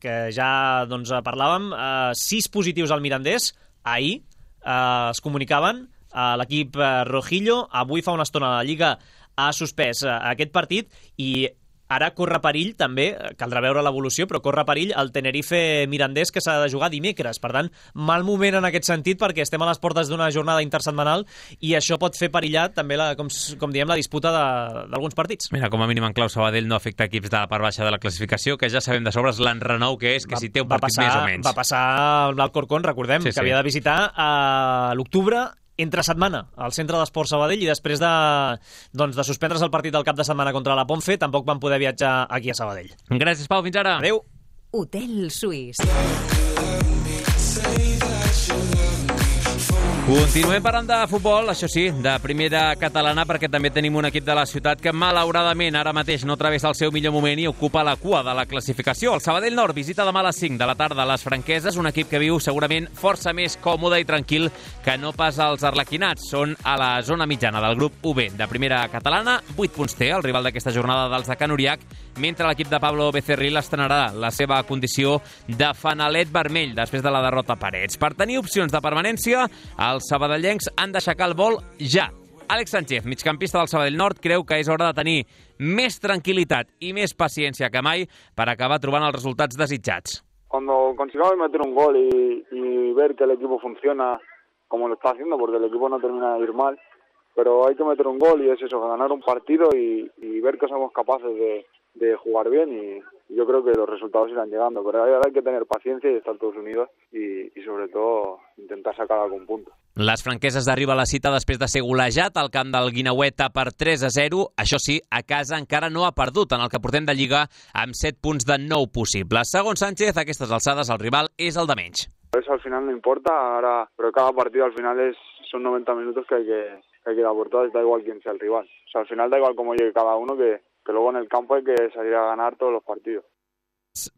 que ja parlàvem. 6 positius al Mirandés, ahir es comunicaven a l'equip rojillo. Avui fa una estona la Lliga ha suspès aquest partit i ara corre perill també, caldrà veure l'evolució, però corre perill el Tenerife Mirandés, que s'ha de jugar dimecres. Per tant, mal moment en aquest sentit, perquè estem a les portes d'una jornada intersetmanal i això pot fer perillar també, com diem, la disputa d'alguns partits. Mira, com a mínim en clau Sabadell no afecta equips de la part baixa de la classificació, que ja sabem de sobre l'enrenou que és, que si té un partit més o menys. Va passar amb l'Alcorcón, recordem, que havia de visitar a l'octubre, entre setmana al centre d'Esport Sabadell, i després de suspendre's el partit del cap de setmana contra la Ponfe, tampoc van poder viatjar aquí a Sabadell. Gràcies, Pau, fins ara. Adéu. Hotel Suís. Continuem parlant de futbol, això sí, de primera catalana, perquè també tenim un equip de la ciutat que malauradament ara mateix no travessa el seu millor moment i ocupa la cua de la classificació. El Sabadell Nord visita demà a les 5 de la tarda a les Franqueses, un equip que viu segurament força més còmode i tranquil que no pas els arlequinats. Són a la zona mitjana del grup UB de primera catalana, 8 punts té el rival d'aquesta jornada dels de Can Uriac, mentre l'equip de Pablo Becerril estrenarà la seva condició de fanalet vermell després de la derrota a Parets. Per tenir opcions de permanència, els sabadellencs han d'aixecar el vol ja. Àlex Sánchez, migcampista del Sabadell Nord, creu que és hora de tenir més tranquil·litat i més paciència que mai per acabar trobant els resultats desitjats. Cuando consigamos meter un gol y ver que el equipo funciona como lo está haciendo, porque el equipo no termina de ir mal, pero hay que meter un gol y es eso, ganar un partido y ver que somos capaces de jugar bien, y yo creo que los resultados irán llegando, pero ahora hay que tener paciencia y estar todos unidos y sobre todo intentar sacar algún punto. Les Franqueses arriba a la cita després de ser golejat al camp del Guineueta per 3-0. Això sí, a casa encara no ha perdut en el que portem de Lliga amb 7 punts de 9 possibles. Segons Sánchez, a aquestes alçades el rival és el de menys. Eso al final no importa, ahora, pero cada partido al final son 90 minutos que hay que dar por todas, da igual quién sea el rival. O sea, al final da igual cómo llegue cada uno, que luego en el campo hay que salir a ganar todos los partidos.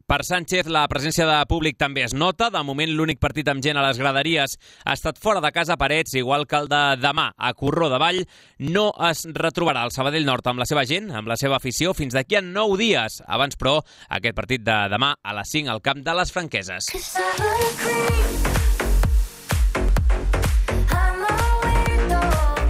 Per Sánchez, la presència de públic també es nota. De moment, l'únic partit amb gent a les graderies ha estat fora de casa Parets, igual que el de demà a Corró de Vall. No es retrobarà el Sabadell Nord amb la seva gent, amb la seva afició, fins d'aquí a 9 dies. Abans, però, aquest partit de demà a les 5 al camp de les Franqueses.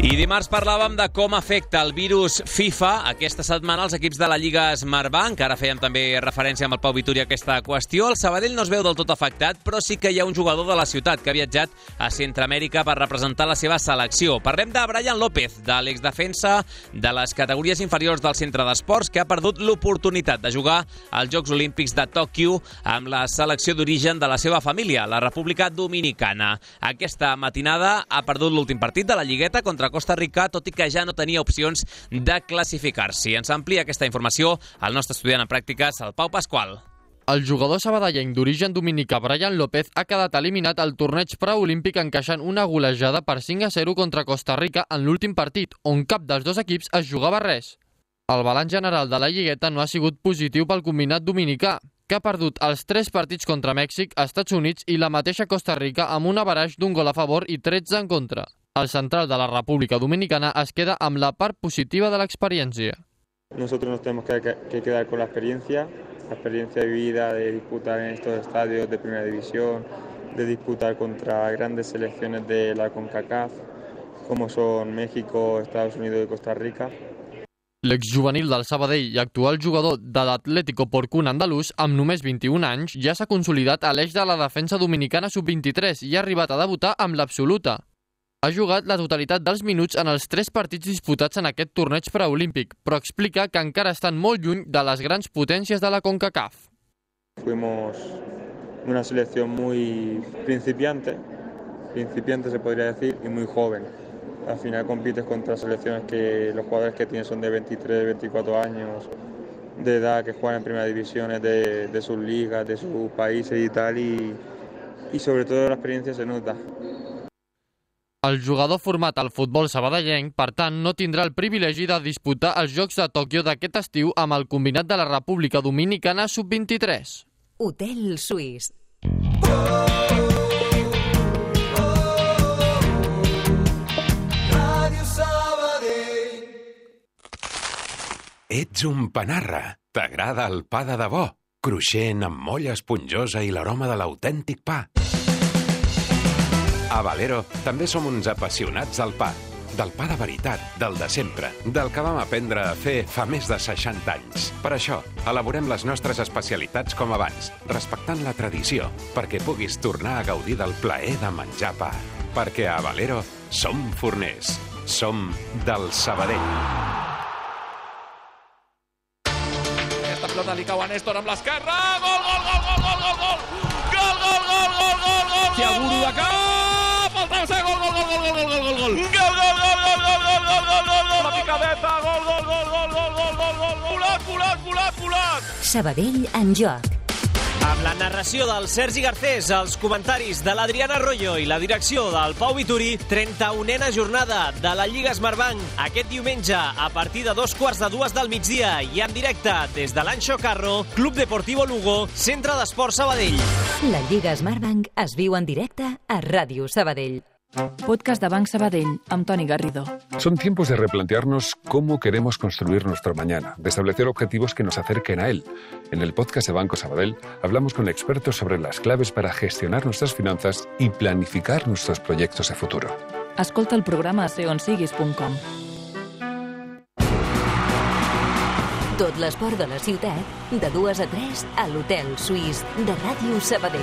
I dimarts parlàvem de com afecta el virus FIFA aquesta setmana als equips de la Lliga Smartbank. Ara fèiem també referència amb el Pau Vituri a aquesta qüestió. El Sabadell no es veu del tot afectat, però sí que hi ha un jugador de la ciutat que ha viatjat a Centroamèrica per representar la seva selecció. Parlem de Brian López, de l'exdefensa de les categories inferiors del centre d'esports, que ha perdut l'oportunitat de jugar als Jocs Olímpics de Tòquio amb la selecció d'origen de la seva família, la República Dominicana. Aquesta matinada ha perdut l'últim partit de la Lligueta contra Costa Rica, tot i que ja no tenia opcions de classificar-s'hi. Ens amplia aquesta informació el nostre estudiant en pràctiques, el Pau Pasqual. El jugador sabadellenc d'origen dominicà Brian López ha quedat eliminat al torneig preolímpic encaixant una golejada per 5-0 contra Costa Rica en l'últim partit, on cap dels dos equips es jugava res. El balanç general de la Lligueta no ha sigut positiu pel combinat dominicà, que ha perdut els 3 partits contra Mèxic, Estats Units i la mateixa Costa Rica amb un average d'un gol a favor i 13 en contra. El central de la República Dominicana es queda amb la part positiva de l'experiència. Nosotros nos tenemos que quedar con la experiencia vivida de disputar en estos estadios de primera división, de disputar contra grandes selecciones de la CONCACAF, como son México, Estados Unidos y Costa Rica. L'exjuvenil del Sabadell i actual jugador de l'Atlético Porcún andalús, amb només 21 anys, ja s'ha consolidat a l'eix de la defensa dominicana sub-23 i ha arribat a debutar amb l'absoluta. Ha jugat la totalitat dels minuts en els 3 partits disputats en aquest torneig preolímpic, però explica que encara estan molt lluny de les grans potències de la CONCACAF. Fuimos una selección muy principiante se podría decir, y muy joven. Al final compites contra selecciones que los jugadores que tienen son de 23, 24 años de edad, que juegan en primera divisiones de sus ligas, de sus países y tal, y sobre todo la experiencia se nota. El jugador format al futbol sabadellenc, per tant, no tindrà el privilegi de disputar els Jocs de Tòquio d'aquest estiu amb el combinat de la República Dominicana sub-23. Hotel Suís. Ets un panarra. T'agrada el pa de debò, cruixent amb molla esponjosa i l'aroma de l'autèntic pa. A Valero també som uns apassionats del pa de veritat, del de sempre, del que vam aprendre a fer fa més de 60 anys. Per això, elaborem les nostres especialitats com abans, respectant la tradició, perquè puguis tornar a gaudir del plaer de menjar pa. Perquè a Valero som forners, som del Sabadell. Aquesta pilota li cau a Néstor amb l'esquerra, gol, gol, gol, gol, gol, gol, gol, gol, gol, gol, gol, gol, gol, Chiaburu de cap, el travesser, gol, gol, gol, gol, gol, gol, gol, gol, gol, la picadeta, gol, gol, gol, gol, gol, gol, gol, gol, volat. Sabadell en joc. Amb la narració del Sergi Garcés, els comentaris de l'Adriana Arroyo i la direcció del Pau Vituri, 31a jornada de la Lliga Smartbank aquest diumenge a partir de 2:45 del migdia i en directe des de l'Anxo Carro, Club Deportivo Lugo, Centre d'Esport Sabadell. La Lliga Smartbank es viu en directe a Ràdio Sabadell. Podcast de Banc Sabadell, amb Toni Garrido. Son tiempos de replantearnos cómo queremos construir nuestro mañana, de establecer objetivos que nos acerquen a él. En el podcast de Banco Sabadell hablamos con expertos sobre las claves para gestionar nuestras finanzas y planificar nuestros proyectos de futuro. Escolta el programa a seonsiguis.com. Tot l'esport de la ciutat, de 2 a 3 a l'Hotel Suís de Ràdio Sabadell.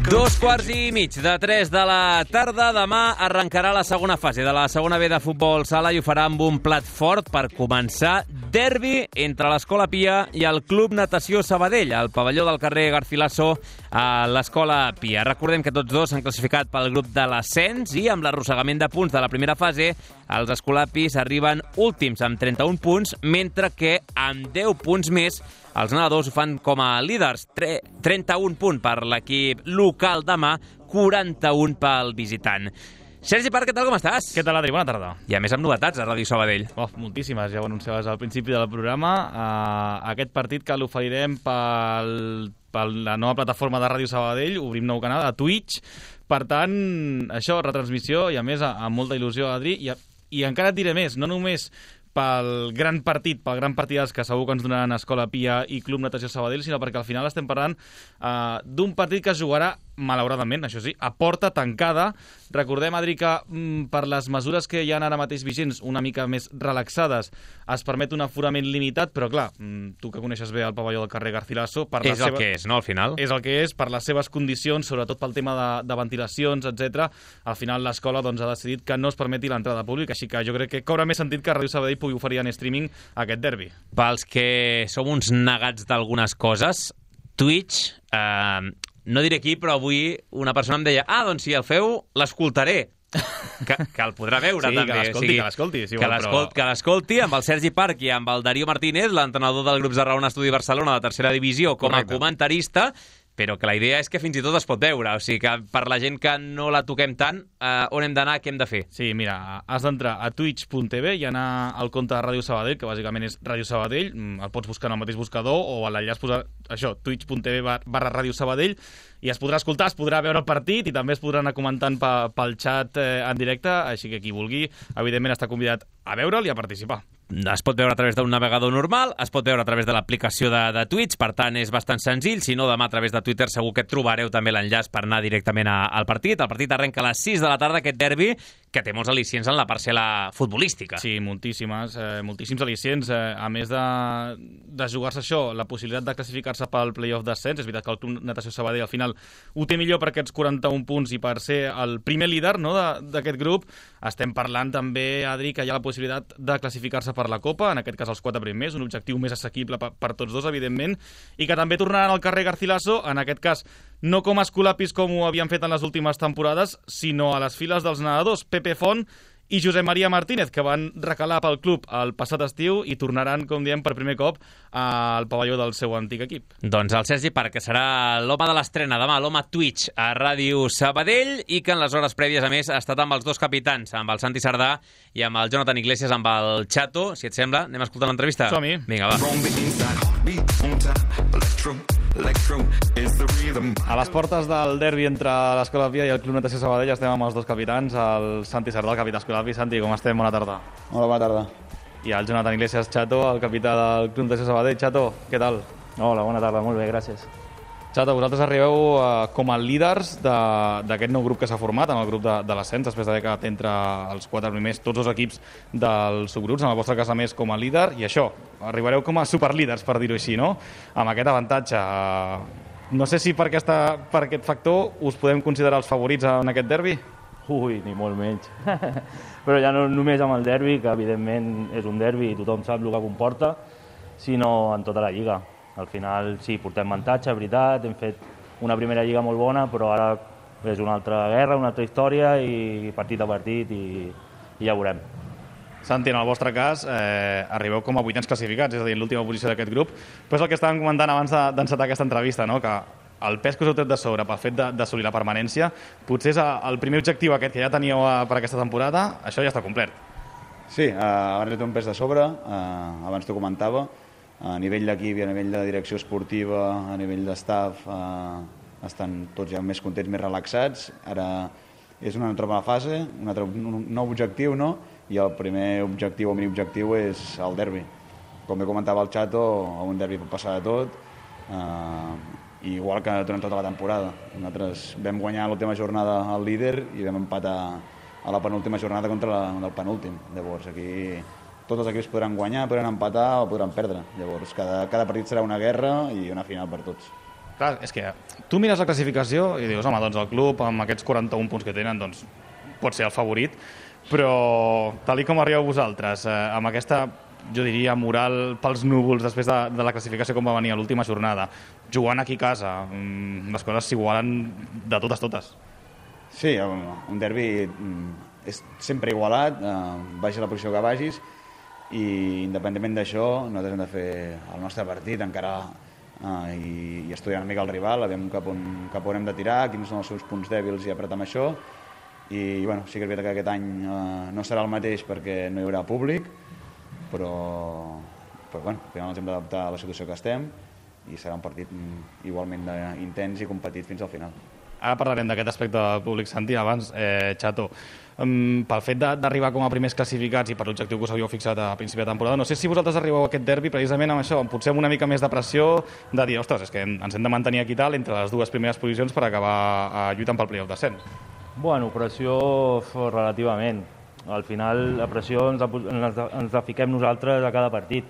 2:15 de 3 de la tarda. Demà arrencarà la segona fase de la segona B de futbol sala i ho farà amb un plat fort per començar. Derbi entre l'Escola Pia i el Club Natació Sabadell, al pavelló del carrer Garcilaso a l'Escola Pia. Recordem que tots dos s'han classificat pel grup de l'ascens i amb l'arrossegament de punts de la primera fase, els escolapis arriben últims amb 31 punts, mentre que amb 10 punts més els nedadors ho fan com a líders. 31 punts per l'equip local demà, 41 pel visitant. Sergi Parc, què tal, com estàs? Què tal, Adri? Bona tarda. I a més amb novetats a Ràdio Sabadell. Moltíssimes, ja ho anunciaves al principi del programa. Aquest partit que l'oferirem per la nova plataforma de Ràdio Sabadell, obrim nou canal a Twitch. Per tant, això, retransmissió i a més amb molta il·lusió, Adri. I encara et diré més, no només pel gran partidàs que segur que ens donaran Escola Pia i Club Natació Sabadell, sinó perquè al final estem parlant d'un partit que es jugarà, malauradament, això sí, a porta tancada. Recordem, Adri, que per les mesures que hi ha ara mateix vigents, una mica més relaxades, es permet un aforament limitat, però clar, tu que coneixes bé el pavelló del carrer Garcilaso... És el que és, no, al final? És el que és, per les seves condicions, sobretot pel tema de ventilacions, etc. Al final l'escola ha decidit que no es permeti l'entrada pública, així que jo crec que cobra més sentit que Ràdio Sabadell pugui oferir en streaming aquest derbi. Pels que som uns negats d'algunes coses, Twitch... no diré qui, però avui una persona em deia doncs si el feu, l'escoltaré. Que el podrà veure, sí, també. Que l'escolti. Si que l'escolti amb el Sergi Parc i amb el Darío Martínez, l'entrenador del grup de Raona Estudi Barcelona de tercera divisió, com a comentarista, però que la idea és que fins i tot es pot veure. O sigui que per la gent que no la toquem tant, on hem d'anar, què hem de fer? Sí, mira, has d'entrar a twitch.tv i anar al compte de Ràdio Sabadell, que bàsicament és Ràdio Sabadell, el pots buscar en el mateix buscador o a l'enllaç posar això, twitch.tv/Ràdio Sabadell, i es podrà escoltar, es podrà veure el partit i també es podrà anar comentant pel xat en directe, així que qui vulgui, evidentment, està convidat a veure'l i a participar. Es pot veure a través d'un navegador normal, es pot veure a través de l'aplicació de Twitch, per tant és bastant senzill. Si no, demà a través de Twitter segur que trobareu també l'enllaç per anar directament al partit. El partit arrenca a les 6 de la tarda, aquest derbi, que té molts al·licients en la parcel·la futbolística. Sí, moltíssims al·licients. A més de jugar-se això, la possibilitat de classificar-se pel play-off d'ascens. És veritat que el Club Natació Sabadell al final ho té millor per aquests 41 punts i per ser el primer líder, no, d'aquest grup. Estem parlant també, Adri, que hi ha la possibilitat de classificar-se per la Copa, en aquest cas els 4 primers, un objectiu més assequible per tots dos, evidentment, i que també tornaran al carrer Garcilaso, en aquest cas no com a escolapis com ho havien fet en les últimes temporades, sinó a les files dels nedadors. Pepe Font i Josep Maria Martínez, que van recalar pel club el passat estiu i tornaran, com diem, per primer cop al pavelló del seu antic equip. Doncs el Sergi Parc, que serà l'home de l'estrena demà, l'home Twitch a Ràdio Sabadell, i que en les hores prèvies, a més, ha estat amb els dos capitans, amb el Santi Sardà i amb el Jonathan Iglesias, amb el Chato. Si et sembla, anem a escoltar l'entrevista? Som-hi. Vinga, va. A les portes del derbi entre l'Escola Pia i el Club Natació Sabadell estem amb els dos capitans, el Santi Sardà, el capità Escola Pia. Santi, com estem? Bona tarda. Hola, bona tarda. I el Jonathan Iglesias, Chato, el capità del Club Natació Sabadell. Chato, què tal? Hola, bona tarda, molt bé, gràcies. Chato, vosaltres arribeu com a líders d'aquest nou grup que s'ha format, amb el grup de l'ascens, després d'haver quedat entre els 4 primers, tots els equips dels subgrups, en el vostre cas a més com a líder, i això, arribareu com a superlíders, per dir-ho així, no? Amb aquest avantatge. No sé si per aquest factor us podem considerar els favorits en aquest derbi? Ui, ni molt menys. Però ja no només amb el derbi, que evidentment és un derbi i tothom sap el que comporta, sinó en tota la lliga. Al final sí, portem avantatge, veritat, hem fet una primera lliga molt bona, però ara és una altra guerra, una altra història i partit a partit i ja veurem. Santi, en el vostre cas, arribeu com a 8ens classificats, és a dir, en l'última posició d'aquest grup, però és el que estàvem comentant abans d'encetar aquesta entrevista, no? Que el pes que us heu tret de sobre pel fet d'assolir la permanència, potser és el primer objectiu aquest que ja teníeu per aquesta temporada, això ja està complert. Sí, abans he tret un pes de sobre, abans t'ho comentava, a nivell d'equip i a nivell de direcció esportiva, a nivell d'estaf, estan tots ja més contents, més relaxats. Ara és una altra fase, un nou objectiu, no? I el primer objectiu o mini-objectiu és el derbi. Com bé comentava el Chato, a un derbi pot passar de tot, igual que durant tota la temporada. Nosaltres vam guanyar l'última jornada al líder i vam empatar a la penúltima jornada contra el penúltim. Llavors, aquí tots els equips podran guanyar, podran empatar o podran perdre. Llavors, cada partit serà una guerra i una final per tots. Clar, és que tu mires la classificació i dius, home, doncs el club amb aquests 41 punts que tenen, doncs pot ser el favorit, però tal com arribeu vosaltres, amb aquesta, jo diria, moral pels núvols després de la classificació com va venir a l'última jornada, jugant aquí a casa, les coses s'igualen de totes. Sí, un derbi és sempre igualat, vagis a la posició que vagis, i independentment d'això nosaltres hem de fer el nostre partit encara i estudiar una mica el rival, aviam cap on hem de tirar, quins són els seus punts dèbils i apretar amb això. I bueno, sí que és veritat que aquest any no serà el mateix perquè no hi haurà públic, però bueno, al final ens hem d'adaptar a la situació que estem i serà un partit igualment intens i competit fins al final. Ara parlarem d'aquest aspecte del públic, Santi. Abans, Chato, pel fet d'arribar com a primers classificats i per l'objectiu que us havíeu fixat a principi de temporada, no sé si vosaltres arribeu a aquest derbi precisament amb això, potser amb una mica més de pressió de dir, ostres, és que ens hem de mantenir aquí tal entre les dues primeres posicions per acabar lluitant pel playoff d'ascens. Bueno, pressió relativament. Al final la pressió ens la fiquem nosaltres a cada partit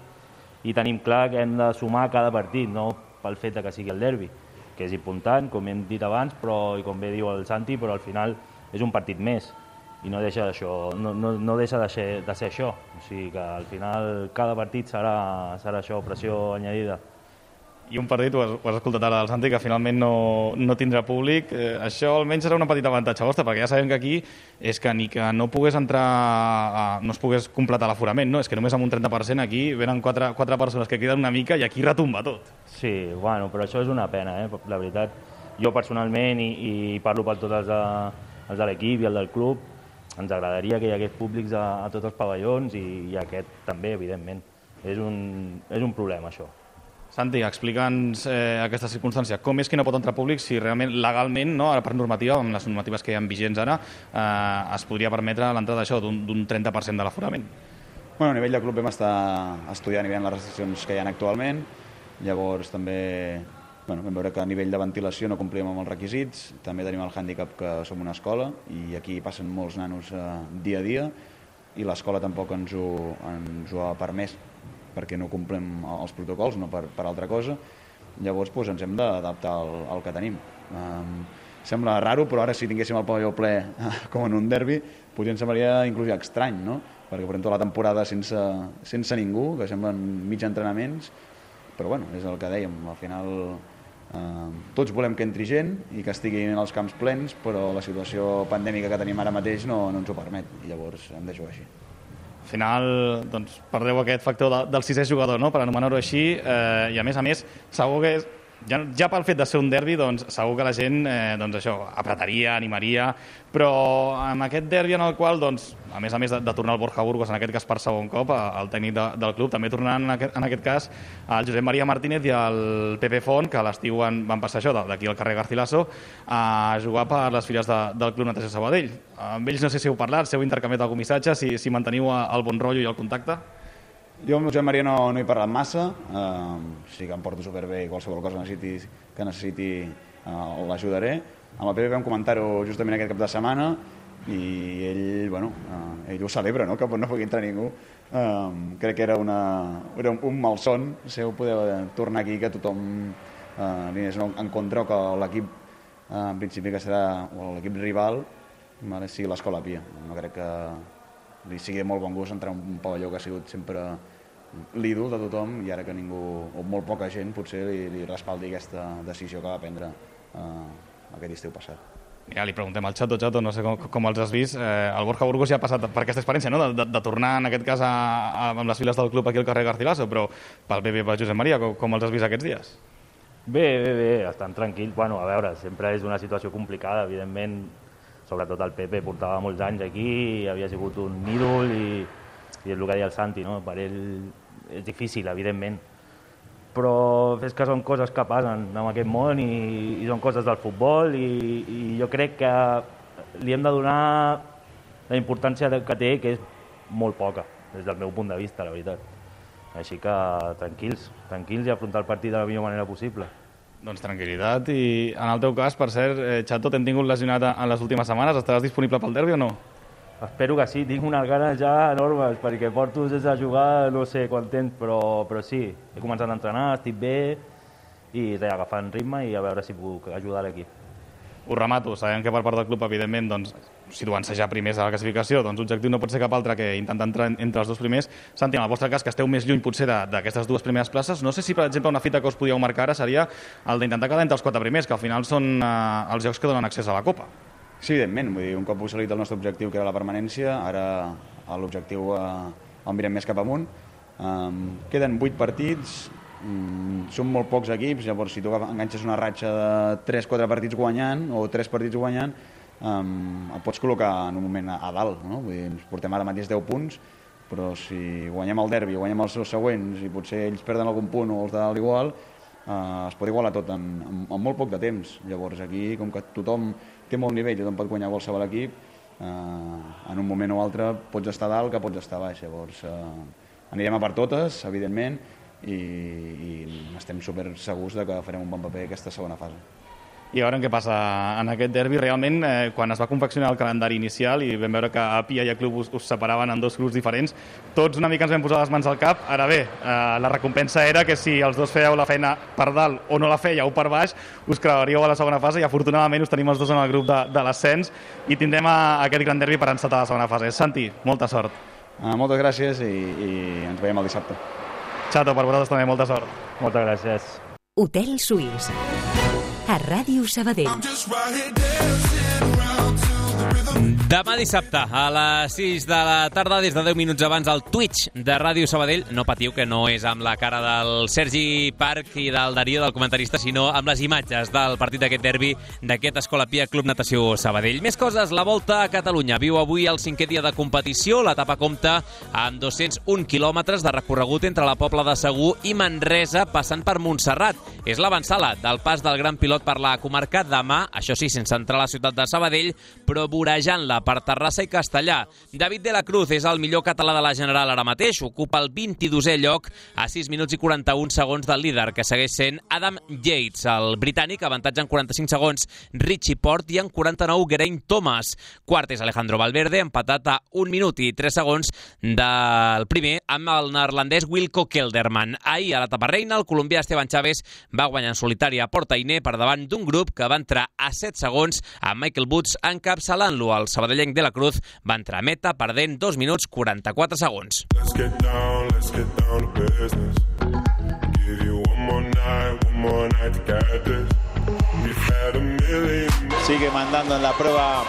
i tenim clar que hem de sumar cada partit, no pel fet que sigui el derbi, que és important, com hem dit abans, i com bé diu el Santi, però al final és un partit més i no deixa de ser això. O sigui que al final cada partit serà això, pressió añadida. I un partit, ho has escoltat ara del Santi, que finalment no tindrà públic. Això almenys serà una petita avantatge vostre, perquè ja sabem que aquí és que ni que no pogués entrar, no es pogués completar l'aforament, no? És que només amb un 30% aquí venen quatre persones que queden una mica i aquí retumba tot. Sí, bueno, però això és una pena, la veritat. Jo personalment, i parlo per tots els de l'equip i el del club, ens agradaria que hi hagués públics a tots els pavellons i aquest també, evidentment. És un problema, això. Santi, explica'ns aquesta circumstància. Com és que no pot entrar públic si realment legalment, no, ara per normativa, amb les normatives que hi ha vigents ara, es podria permetre l'entrada d'això d'un 30% de l'aforament? Bueno, a nivell de club vam estar estudiant i veient les restriccions que hi ha actualment. Llavors també vam veure que a nivell de ventilació no complim amb els requisits. També tenim el hàndicap que som una escola i aquí passen molts nanos dia a dia i l'escola tampoc ens ho ha permès perquè no complim els protocols, no per altra cosa. Llavors ens hem d'adaptar al que tenim. Sembla raro, però ara si tinguéssim el pavelló ple com en un derbi, potser ens semblaria inclús estrany, no? Perquè portem tota la temporada sense ningú, que semblen mig entrenaments, però bueno, és el que dèiem, al final Tots volem que entri gent i que estiguin els camps plens, però la situació pandèmica que tenim ara mateix no ens ho permet, i llavors hem de jugar així. Al final, doncs, perdeu aquest factor del sisè jugador, no?, per anomenar-ho així, i a més, segur que ja pel fet de ser un derbi, doncs segur que la gent apretaria, animaria, però amb aquest derbi en el qual, doncs, a més de tornar el Borja Burgos, en aquest cas per segon cop, el tècnic del club, també tornant en aquest cas el Josep Maria Martínez i el Pepe Font, que a l'estiu van passar això d'aquí al carrer Garcilaso a jugar per les files del Club Natació Sabadell. Amb ells no sé si heu parlat, si heu intercanviat algun missatge, si manteniu el bon rotllo i el contacte. Jo amb el Josep Maria no he parlat massa, sí que em porto superbé i qualsevol cosa que necessiti l'ajudaré. Amb el Pepe vam comentar-ho justament aquest cap de setmana i ell ho celebra, no?, que no pugui entrar ningú. Crec que era un malson seu poder tornar aquí, que tothom li és en contra, o que l'equip en principi que serà l'equip rival sigui l'Escola Pia. No crec que li sigui de molt bon gust entrar en un pavelló que ha sigut sempre l'ídol de tothom i ara que ningú, o molt poca gent, potser li respaldi aquesta decisió que va prendre aquest estiu passat. Ja li preguntem al Chato, no sé com els has vist. El Borja Burgos ja ha passat per aquesta experiència, no?, de tornar en aquest cas amb les files del club aquí al carrer Garcilaso, però pel Pepe i pel Josep Maria, com els has vist aquests dies? Bé, estan tranquils. Bueno, a veure, sempre és una situació complicada, evidentment. Sobretot el Pepe portava molts anys aquí, havia sigut un ídol i és el que deia el Santi, no? Per ell és difícil, evidentment. Però és que són coses que passen en aquest món i són coses del futbol i jo crec que li hem de donar la importància que té, que és molt poca, des del meu punt de vista, la veritat. Així que tranquils i afrontar el partit de la millor manera possible. Doncs tranquil·litat. I en el teu cas, per cert, Chato, t'hem tingut lesionat en les últimes setmanes. Estaràs disponible pel derbi o no? Espero que sí. Tinc unes ganes ja enormes, perquè porto sense jugar no sé quant temps, però sí. He començat a entrenar, estic bé i agafant ritme i a veure si puc ajudar l'equip. Ho remato. Sabem que per part del club, evidentment, doncs, situant-se ja primers a la classificació, doncs l'objectiu no pot ser cap altre que intentar entrar entre els dos primers. Santi, en el vostre cas, que esteu més lluny potser d'aquestes dues primeres places, no sé si, per exemple, una fita que us podíeu marcar ara seria el d'intentar quedar entre els 4 primers, que al final són els jocs que donen accés a la Copa. Sí, evidentment. Vull dir, un cop assolit el nostre objectiu, que era la permanència, ara l'objectiu el mirem més cap amunt. Queden 8 partits, són molt pocs equips, llavors si tu enganxes una ratxa de 3-4 partits guanyant o 3 partits guanyant, et pots col·locar en un moment a dalt, no? Vull dir, ens portem ara mateix 10 punts, però si guanyem el derbi o guanyem els següents i potser ells perden algun punt o els de dalt igual, es pot igualar tot en molt poc de temps. Llavors aquí, com que tothom té molt nivell, tothom pot guanyar qualsevol equip, en un moment o altre pots estar dalt que pots estar baix. Llavors anirem a per totes, evidentment, i estem super segurs que farem un bon paper aquesta segona fase. I a veure què passa en aquest derbi. Realment, quan es va confeccionar el calendari inicial i vam veure que a Pia i a Club us separaven en 2 grups diferents, tots una mica ens vam posar les mans al cap. Ara bé, la recompensa era que si els dos fèieu la feina per dalt o no la fèieu per baix, us creuaríeu a la segona fase i afortunadament us tenim els dos en el grup de l'ascens i tindrem aquest gran derbi per encetar la segona fase. Santi, molta sort. Moltes gràcies i ens veiem el dissabte. Chato, per vosaltres també, molta sort. Moltes gràcies. Hotel Suís. A Ràdio Sabadell. Demà dissabte, a les 6 de la tarda, des de 10 minuts abans, al Twitch de Ràdio Sabadell. No patiu, que no és amb la cara del Sergi Parc i del Darío, del comentarista, sinó amb les imatges del partit d'aquest derbi d'aquest Escola Pia Club Natació Sabadell. Més coses, la Volta a Catalunya viu avui el 5è dia de competició. L'etapa compta amb 201 quilòmetres de recorregut entre la Pobla de Segur i Manresa, passant per Montserrat. És l'avançala del pas del Gran Pilot per la comarca. Demà, això sí, sense entrar a la ciutat de Sabadell, però vorejant-la per Terrassa i Castellà. David de la Cruz és el millor català de la General ara mateix. Ocupa el 22è lloc a 6 minuts i 41 segons del líder, que segueix sent Adam Yates. El britànic avantatja en 45 segons Richie Port i en 49 Geraint Thomas. Quart és Alejandro Valverde, empatat a 1 minut i 3 segons del primer amb el neerlandès Wilco Kelderman. Ahir, a l'etapa reina, el colombià Esteban Chaves va guanyar en solitari a Portainer per davant d'un grup que va entrar a 7 segons amb Michael Woods encapçalant-lo. El sabadellenc de la Cruz va entrar a meta perdent 2 minuts 44 segons. Sigue mandando en la prueba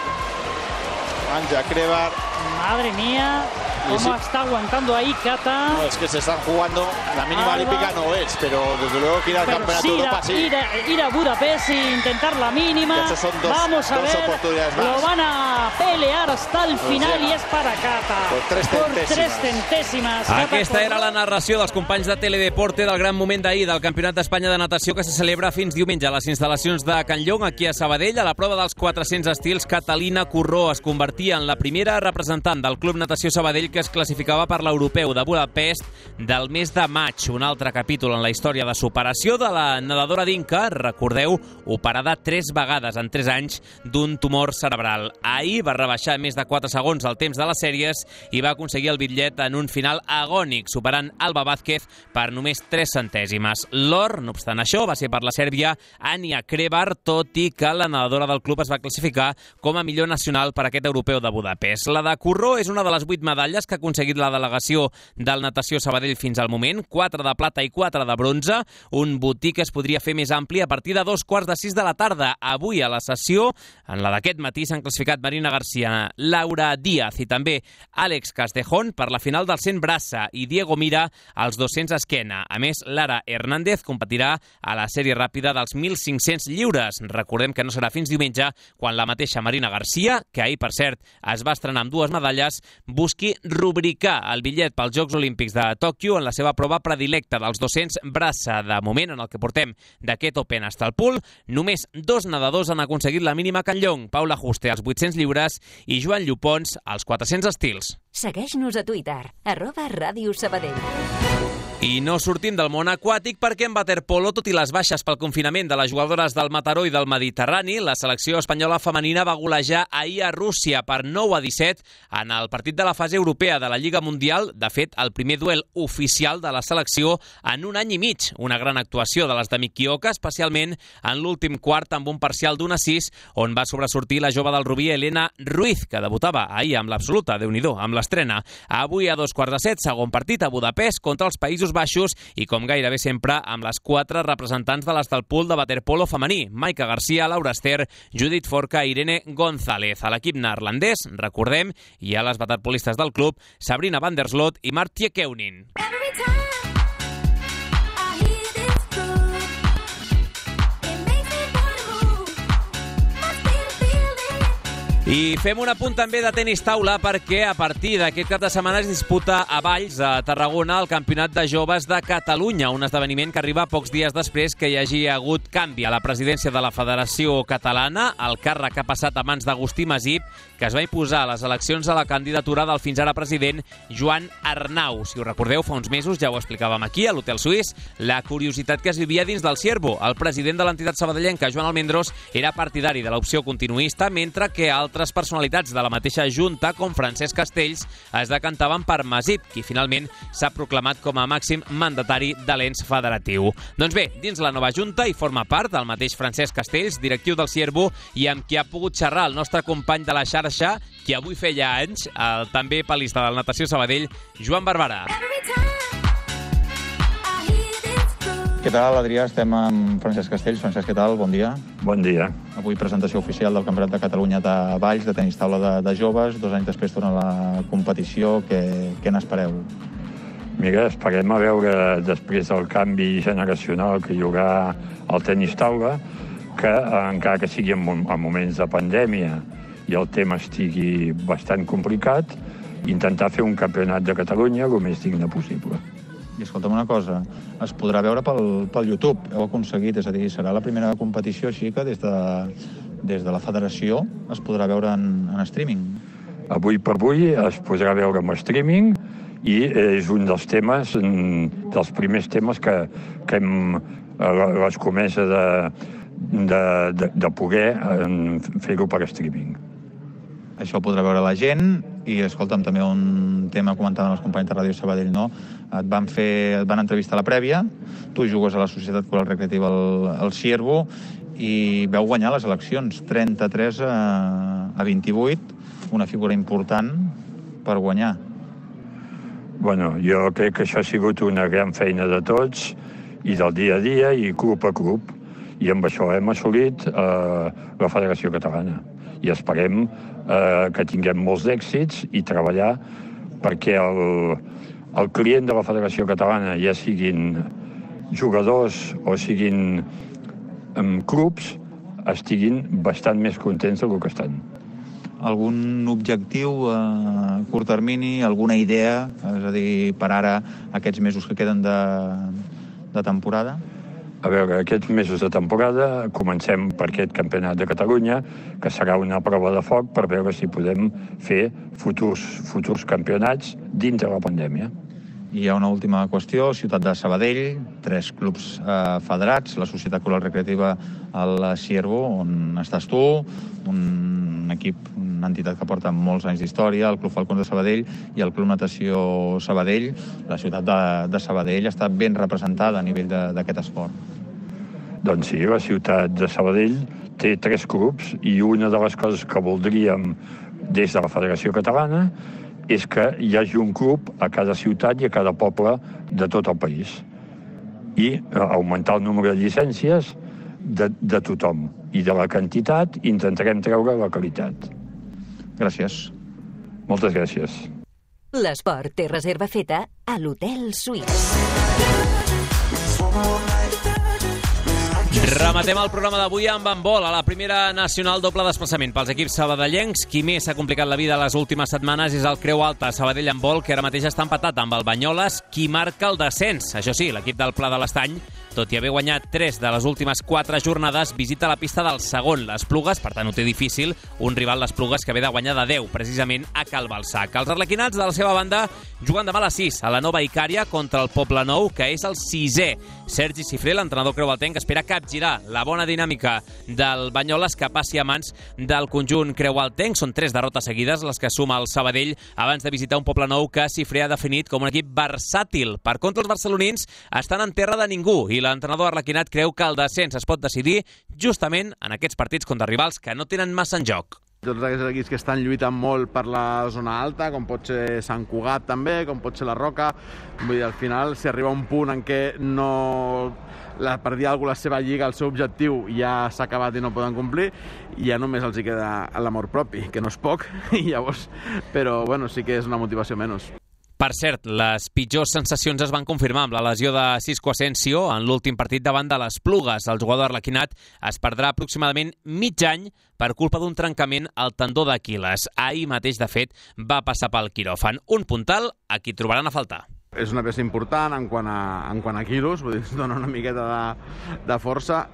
Anja Krevar. Madre mía, cómo está aguantando ahí Kata. No, es que se están jugando, la mínima olímpica no es, pero desde luego que ir al campeonato de Europa sí. Ir a Budapest e intentar la mínima. Son vamos a ver, oportunidades más. Lo van a pelear hasta el final i és per a Kata. Por 3 centèsimes. Aquesta era la narració dels companys de Teledeporte del gran moment d'ahir del Campionat d'Espanya de Natació que se celebra fins diumenge a les instal·lacions de Can Llong, aquí a Sabadell. A la prova dels 400 estils, Catalina Corró es convertia en la primera representant del Club Natació Sabadell que es classificava per l'Europeu de Budapest del mes de maig. Un altre capítol en la història de superació de la nedadora d'Inca, recordeu, operada 3 vegades en 3 anys d'un tumor cerebral. Ahir va rebaixar més de 4 segons el temps de les sèries i va aconseguir el bitllet en un final agònic, superant Alba Vázquez per només 3 centèsimes. L'or, no obstant això, va ser per la sèrbia Anja Krevar, tot i que la nedadora del club es va classificar com a millor nacional per aquest europeu de Budapest. La de Corró és una de les 8 medalles que ha aconseguit la delegació del Natació Sabadell fins al moment, 4 de plata i 4 de bronze, un botí que es podria fer més ampli a partir de 5:45 de la tarda. Avui a la sessió, en la d'aquest matí, s'han classificat Marina García, Laura Díaz i també Àlex Castejón per la final del 100 braça i Diego Mira als 200 esquena. A més, Lara Hernández competirà a la sèrie ràpida dels 1.500 lliures. Recordem que no serà fins diumenge quan la mateixa Marina García, que ahir, per cert, es va estrenar amb 2 medalles, busqui rubricar el bitllet pels Jocs Olímpics de Tòquio en la seva prova predilecta dels 200 braça. De moment, en el que portem d'aquest Open hasta el pool, només 2 nedadors han aconseguit la mínima a Can Llong, Paula Juste als 800 lliures i Joan Llopons als 400 estils. Segueix-nos a Twitter, @Ràdio Sabadell. I no sortim del món aquàtic perquè en waterpolo, tot i les baixes pel confinament de les jugadores del Mataró i del Mediterrani, la selecció espanyola femenina va golejar ahir a Rússia per 9-17 en el partit de la fase europea de la Lliga Mundial. De fet, el primer duel oficial de la selecció en un any i mig. Una gran actuació de les de Mikioka, especialment en l'últim quart amb un parcial d'1-6, on va sobresortir la jove del Rubí, Elena Ruiz, que debutava ahir amb l'absoluta, Déu-n'hi-do, amb l'estrena. Avui a 2:15, segon partit a Budapest contra els Països Baixos i, com gairebé sempre, amb les 4 representants de les del pool de waterpolo femení: Maica Garcia, Laura Ester, Judit Forca i Irene González. A l'equip neerlandès, recordem, hi ha les waterpolistes del club, Sabrina van der Sloot i Martje Keunin. I fem un apunt també de tenis taula perquè a partir d'aquest cap de setmana es disputa a Valls, a Tarragona, el Campionat de Joves de Catalunya, un esdeveniment que arriba pocs dies després que hi hagi hagut canvi a la presidència de la Federació Catalana. El càrrec ha passat a mans d'Agustí Masip, que es va imposar a les eleccions a la candidatura del fins ara president Joan Arnau. Si us recordeu, fa uns mesos ja ho explicàvem aquí, a l'Hotel Suís, la curiositat que es vivia dins del Ciervo. El president de l'entitat sabadellenca, Joan Almendros, era partidari de l'opció continuista, mentre que altres personalitats de la mateixa junta, com Francesc Castells, es decantaven per Masip, qui finalment s'ha proclamat com a màxim mandatari de l'ens federatiu. Doncs bé, dins la nova junta hi forma part el mateix Francesc Castells, directiu del Ciervo, i amb qui ha pogut xerrar el nostre company de la xarxa, qui avui feia anys, el també palista del Natació Sabadell, Joan Barberà. Què tal, Adrià? Estem amb Francesc Castells. Francesc, què tal? Bon dia. Bon dia. Avui presentació oficial del Campionat de Catalunya de Valls, de tenis taula de joves. 2 anys després torna la competició. Què n'espereu? Mira, esperem a veure, després del canvi generacional que hi haurà al tenis taula, que encara que sigui en moments de pandèmia i el tema estigui bastant complicat, intentar fer un campionat de Catalunya el més digne possible. I escolta'm una cosa, es podrà veure pel YouTube, heu aconseguit, és a dir, serà la primera competició així que des de la federació es podrà veure en streaming. Avui per avui es podrà veure en streaming i és un dels temes, dels primers temes que hem l'escomesa de poder fer-ho per streaming. Això podrà veure la gent i, escolta'm, també un tema comentaven els companys de Ràdio Sabadell, no? Et van entrevistar a la prèvia, tu jugues a la Societat Coral Recreativa al Ciervo i veu guanyar les eleccions 33-28, una figura important per guanyar. Bueno, jo crec que això ha sigut una gran feina de tots i del dia a dia i club a club. I amb això hem assolit la Federació Catalana. I esperem que tinguem molts èxits i treballar perquè el client de la Federació Catalana, ja siguin jugadors o siguin clubs, estiguin bastant més contents del que estan. Algun objectiu a curt termini, alguna idea, és a dir, per ara, aquests mesos que queden de temporada? A veure, aquests mesos de temporada comencem per aquest campionat de Catalunya, que serà una prova de foc per veure si podem fer futurs campionats dins de la pandèmia. I hi ha una última qüestió, Ciutat de Sabadell, 3 clubs federats, la Societat Cultural Recreativa al Ciervo, on estàs tu, un equip, una entitat que porta molts anys d'història, el Club Falcons de Sabadell i el Club Natació Sabadell. La ciutat de Sabadell està ben representada a nivell d'aquest esport. Doncs sí, la ciutat de Sabadell té 3 clubs i una de les coses que voldríem des de la Federació Catalana és que hi hagi un club a cada ciutat i a cada poble de tot el país. I augmentar el número de llicències de tothom. I de la quantitat intentarem treure la qualitat. Gràcies. Moltes gràcies. L'esport té reserva feta a l'Hotel Suís. Rematem el programa d'avui amb handbol a la primera nacional doble desplaçament pels equips sabadellencs. Qui més s'ha complicat la vida les últimes setmanes és el Creu Alta Sabadell Handbol, que ara mateix està empatat amb el Banyoles, qui marca el descens. Això sí, l'equip del Pla de l'Estany, tot i haver guanyat 3 de les últimes 4 jornades, visita la pista del segon, les Plugues, per tant ho té difícil, un rival les Plugues que ve de guanyar de 10, precisament a Cal Balsac. Els arlequinats, de la seva banda, juguen demà a les 6 a la Nova Icària contra el Poblenou, que és el 6è. Sergi Cifré, l'entrenador creualtenc, espera capgirar la bona dinàmica del Banyoles que passi a mans del conjunt creualtenc. Són 3 derrotes seguides les que suma el Sabadell abans de visitar un Poblenou que Cifré ha definit com un equip versàtil. Per contra, els barcelonins estan en terra de ningú i l'entrenador arlequinat creu que el descens es pot decidir justament en aquests partits contra rivals que no tenen massa en joc. Tots aquests equips que estan lluitant molt per la zona alta, com pot ser Sant Cugat també, com pot ser la Roca. Vull dir, al final, si arriba un punt en què per dir alguna cosa, la seva lliga, el seu objectiu ja s'ha acabat i no poden complir, ja només els hi queda l'amor propi, que no és poc, i llavors, però bueno, sí que és una motivació menys. Per cert, les pitjors sensacions es van confirmar amb la lesió de Cisco Asensio en l'últim partit davant de les Plugues. El jugador arlequinat es perdrà aproximadament mig any per culpa d'un trencament al tendó d'Aquil·les. Ahir mateix, de fet, va passar pel quiròfan. Un puntal a qui trobaran a faltar. És una peça important en quant a quilos, vull dir, ens dona una miqueta de força.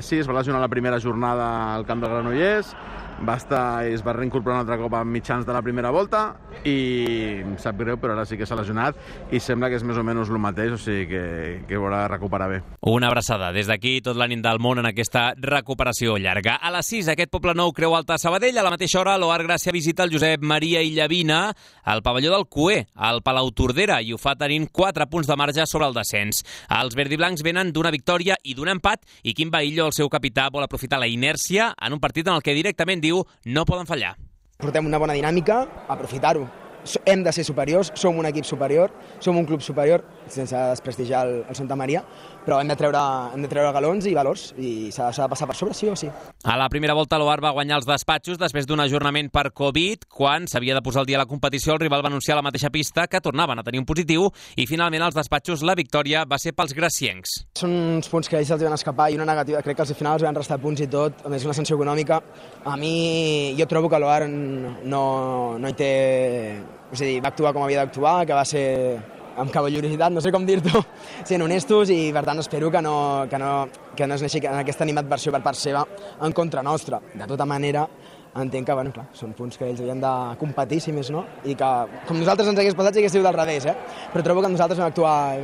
Sí, es va lesionar la primera jornada al camp del Granollers, es va reincorporar un altre cop a mitjans de la primera volta i em sap greu, però ara sí que s'ha lesionat i sembla que és més o menys el mateix, o sigui que haurà de recuperar bé. Una abraçada des d'aquí, tot l'ànim del món en aquesta recuperació llarga. A les 6, aquest Poblenou Creu Alta Sabadell. A la mateixa hora, l'Oar Gràcia visita el Josep Maria Illavina al pavelló del Cué, al Palau Tordera, i ho fa tenint 4 punts de marge sobre el descens. Els verdiblancs venen d'una victòria i d'un empat, i Quim Bahillo, el seu capità, vol aprofitar la inèrcia en un partit en el que directament diu no poden fallar. Portem una bona dinàmica, aprofitar-ho. Hem de ser superiors, som un equip superior, som un club superior, sense desprestigiar el Santa Maria, però hem de treure galons i valors i s'ha de passar per sobre, sí o sí. A la primera volta l'Oar va guanyar els despatxos després d'un ajornament per Covid. Quan s'havia de posar al dia la competició, el rival va anunciar a la mateixa pista que tornaven a tenir un positiu i finalment als despatxos la victòria va ser pels graciencs. Són uns punts que ells els van escapar i una negativa, crec que al final els van restar punts i tot, a més una sanció econòmica. A mi, jo trobo que l'Oar no hi té... És a dir, va actuar com havia d'actuar, que va ser amb cavalleritat, no sé com dir-t'ho, sent honestos, i per tant espero que no es neixi en aquesta animadversió per part seva en contra nostra. De tota manera, entenc que, bueno, clar, són punts que ells havien de competir, si més no, i que, com nosaltres ens hagués passat, si hagués sigut del revés, però trobo que nosaltres vam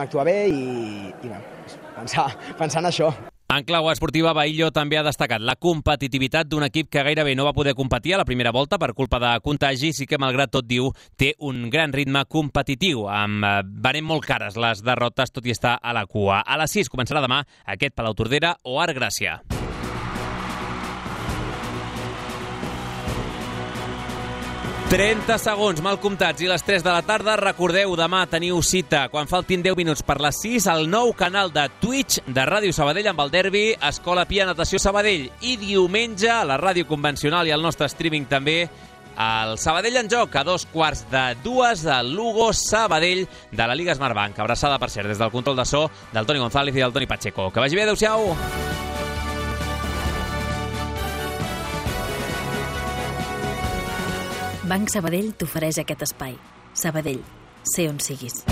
actuar bé i bueno, pensar en això. En clau esportiva, Bahillo també ha destacat la competitivitat d'un equip que gairebé no va poder competir a la primera volta per culpa de contagis i que, malgrat tot, diu, té un gran ritme competitiu. Venent molt cares les derrotes, tot i estar a la cua. A les 6 començarà demà aquest Palau Tordera o Oar Gràcia. 30 segons, mal comptats, i les 3 de la tarda. Recordeu, demà teniu cita, quan faltin 10 minuts per les 6, al nou canal de Twitch de Ràdio Sabadell amb el derbi Escola Pia Natació Sabadell. I diumenge, a la ràdio convencional i al nostre streaming també, el Sabadell en joc, a 2:45 del Lugo Sabadell de la Lliga Smartbank. Abraçada, per cert, des del control de so del Toni González i del Toni Pacheco. Que vagi bé, adeu-siau! Banc Sabadell t'ofereix aquest espai. Sabadell, sé on siguis.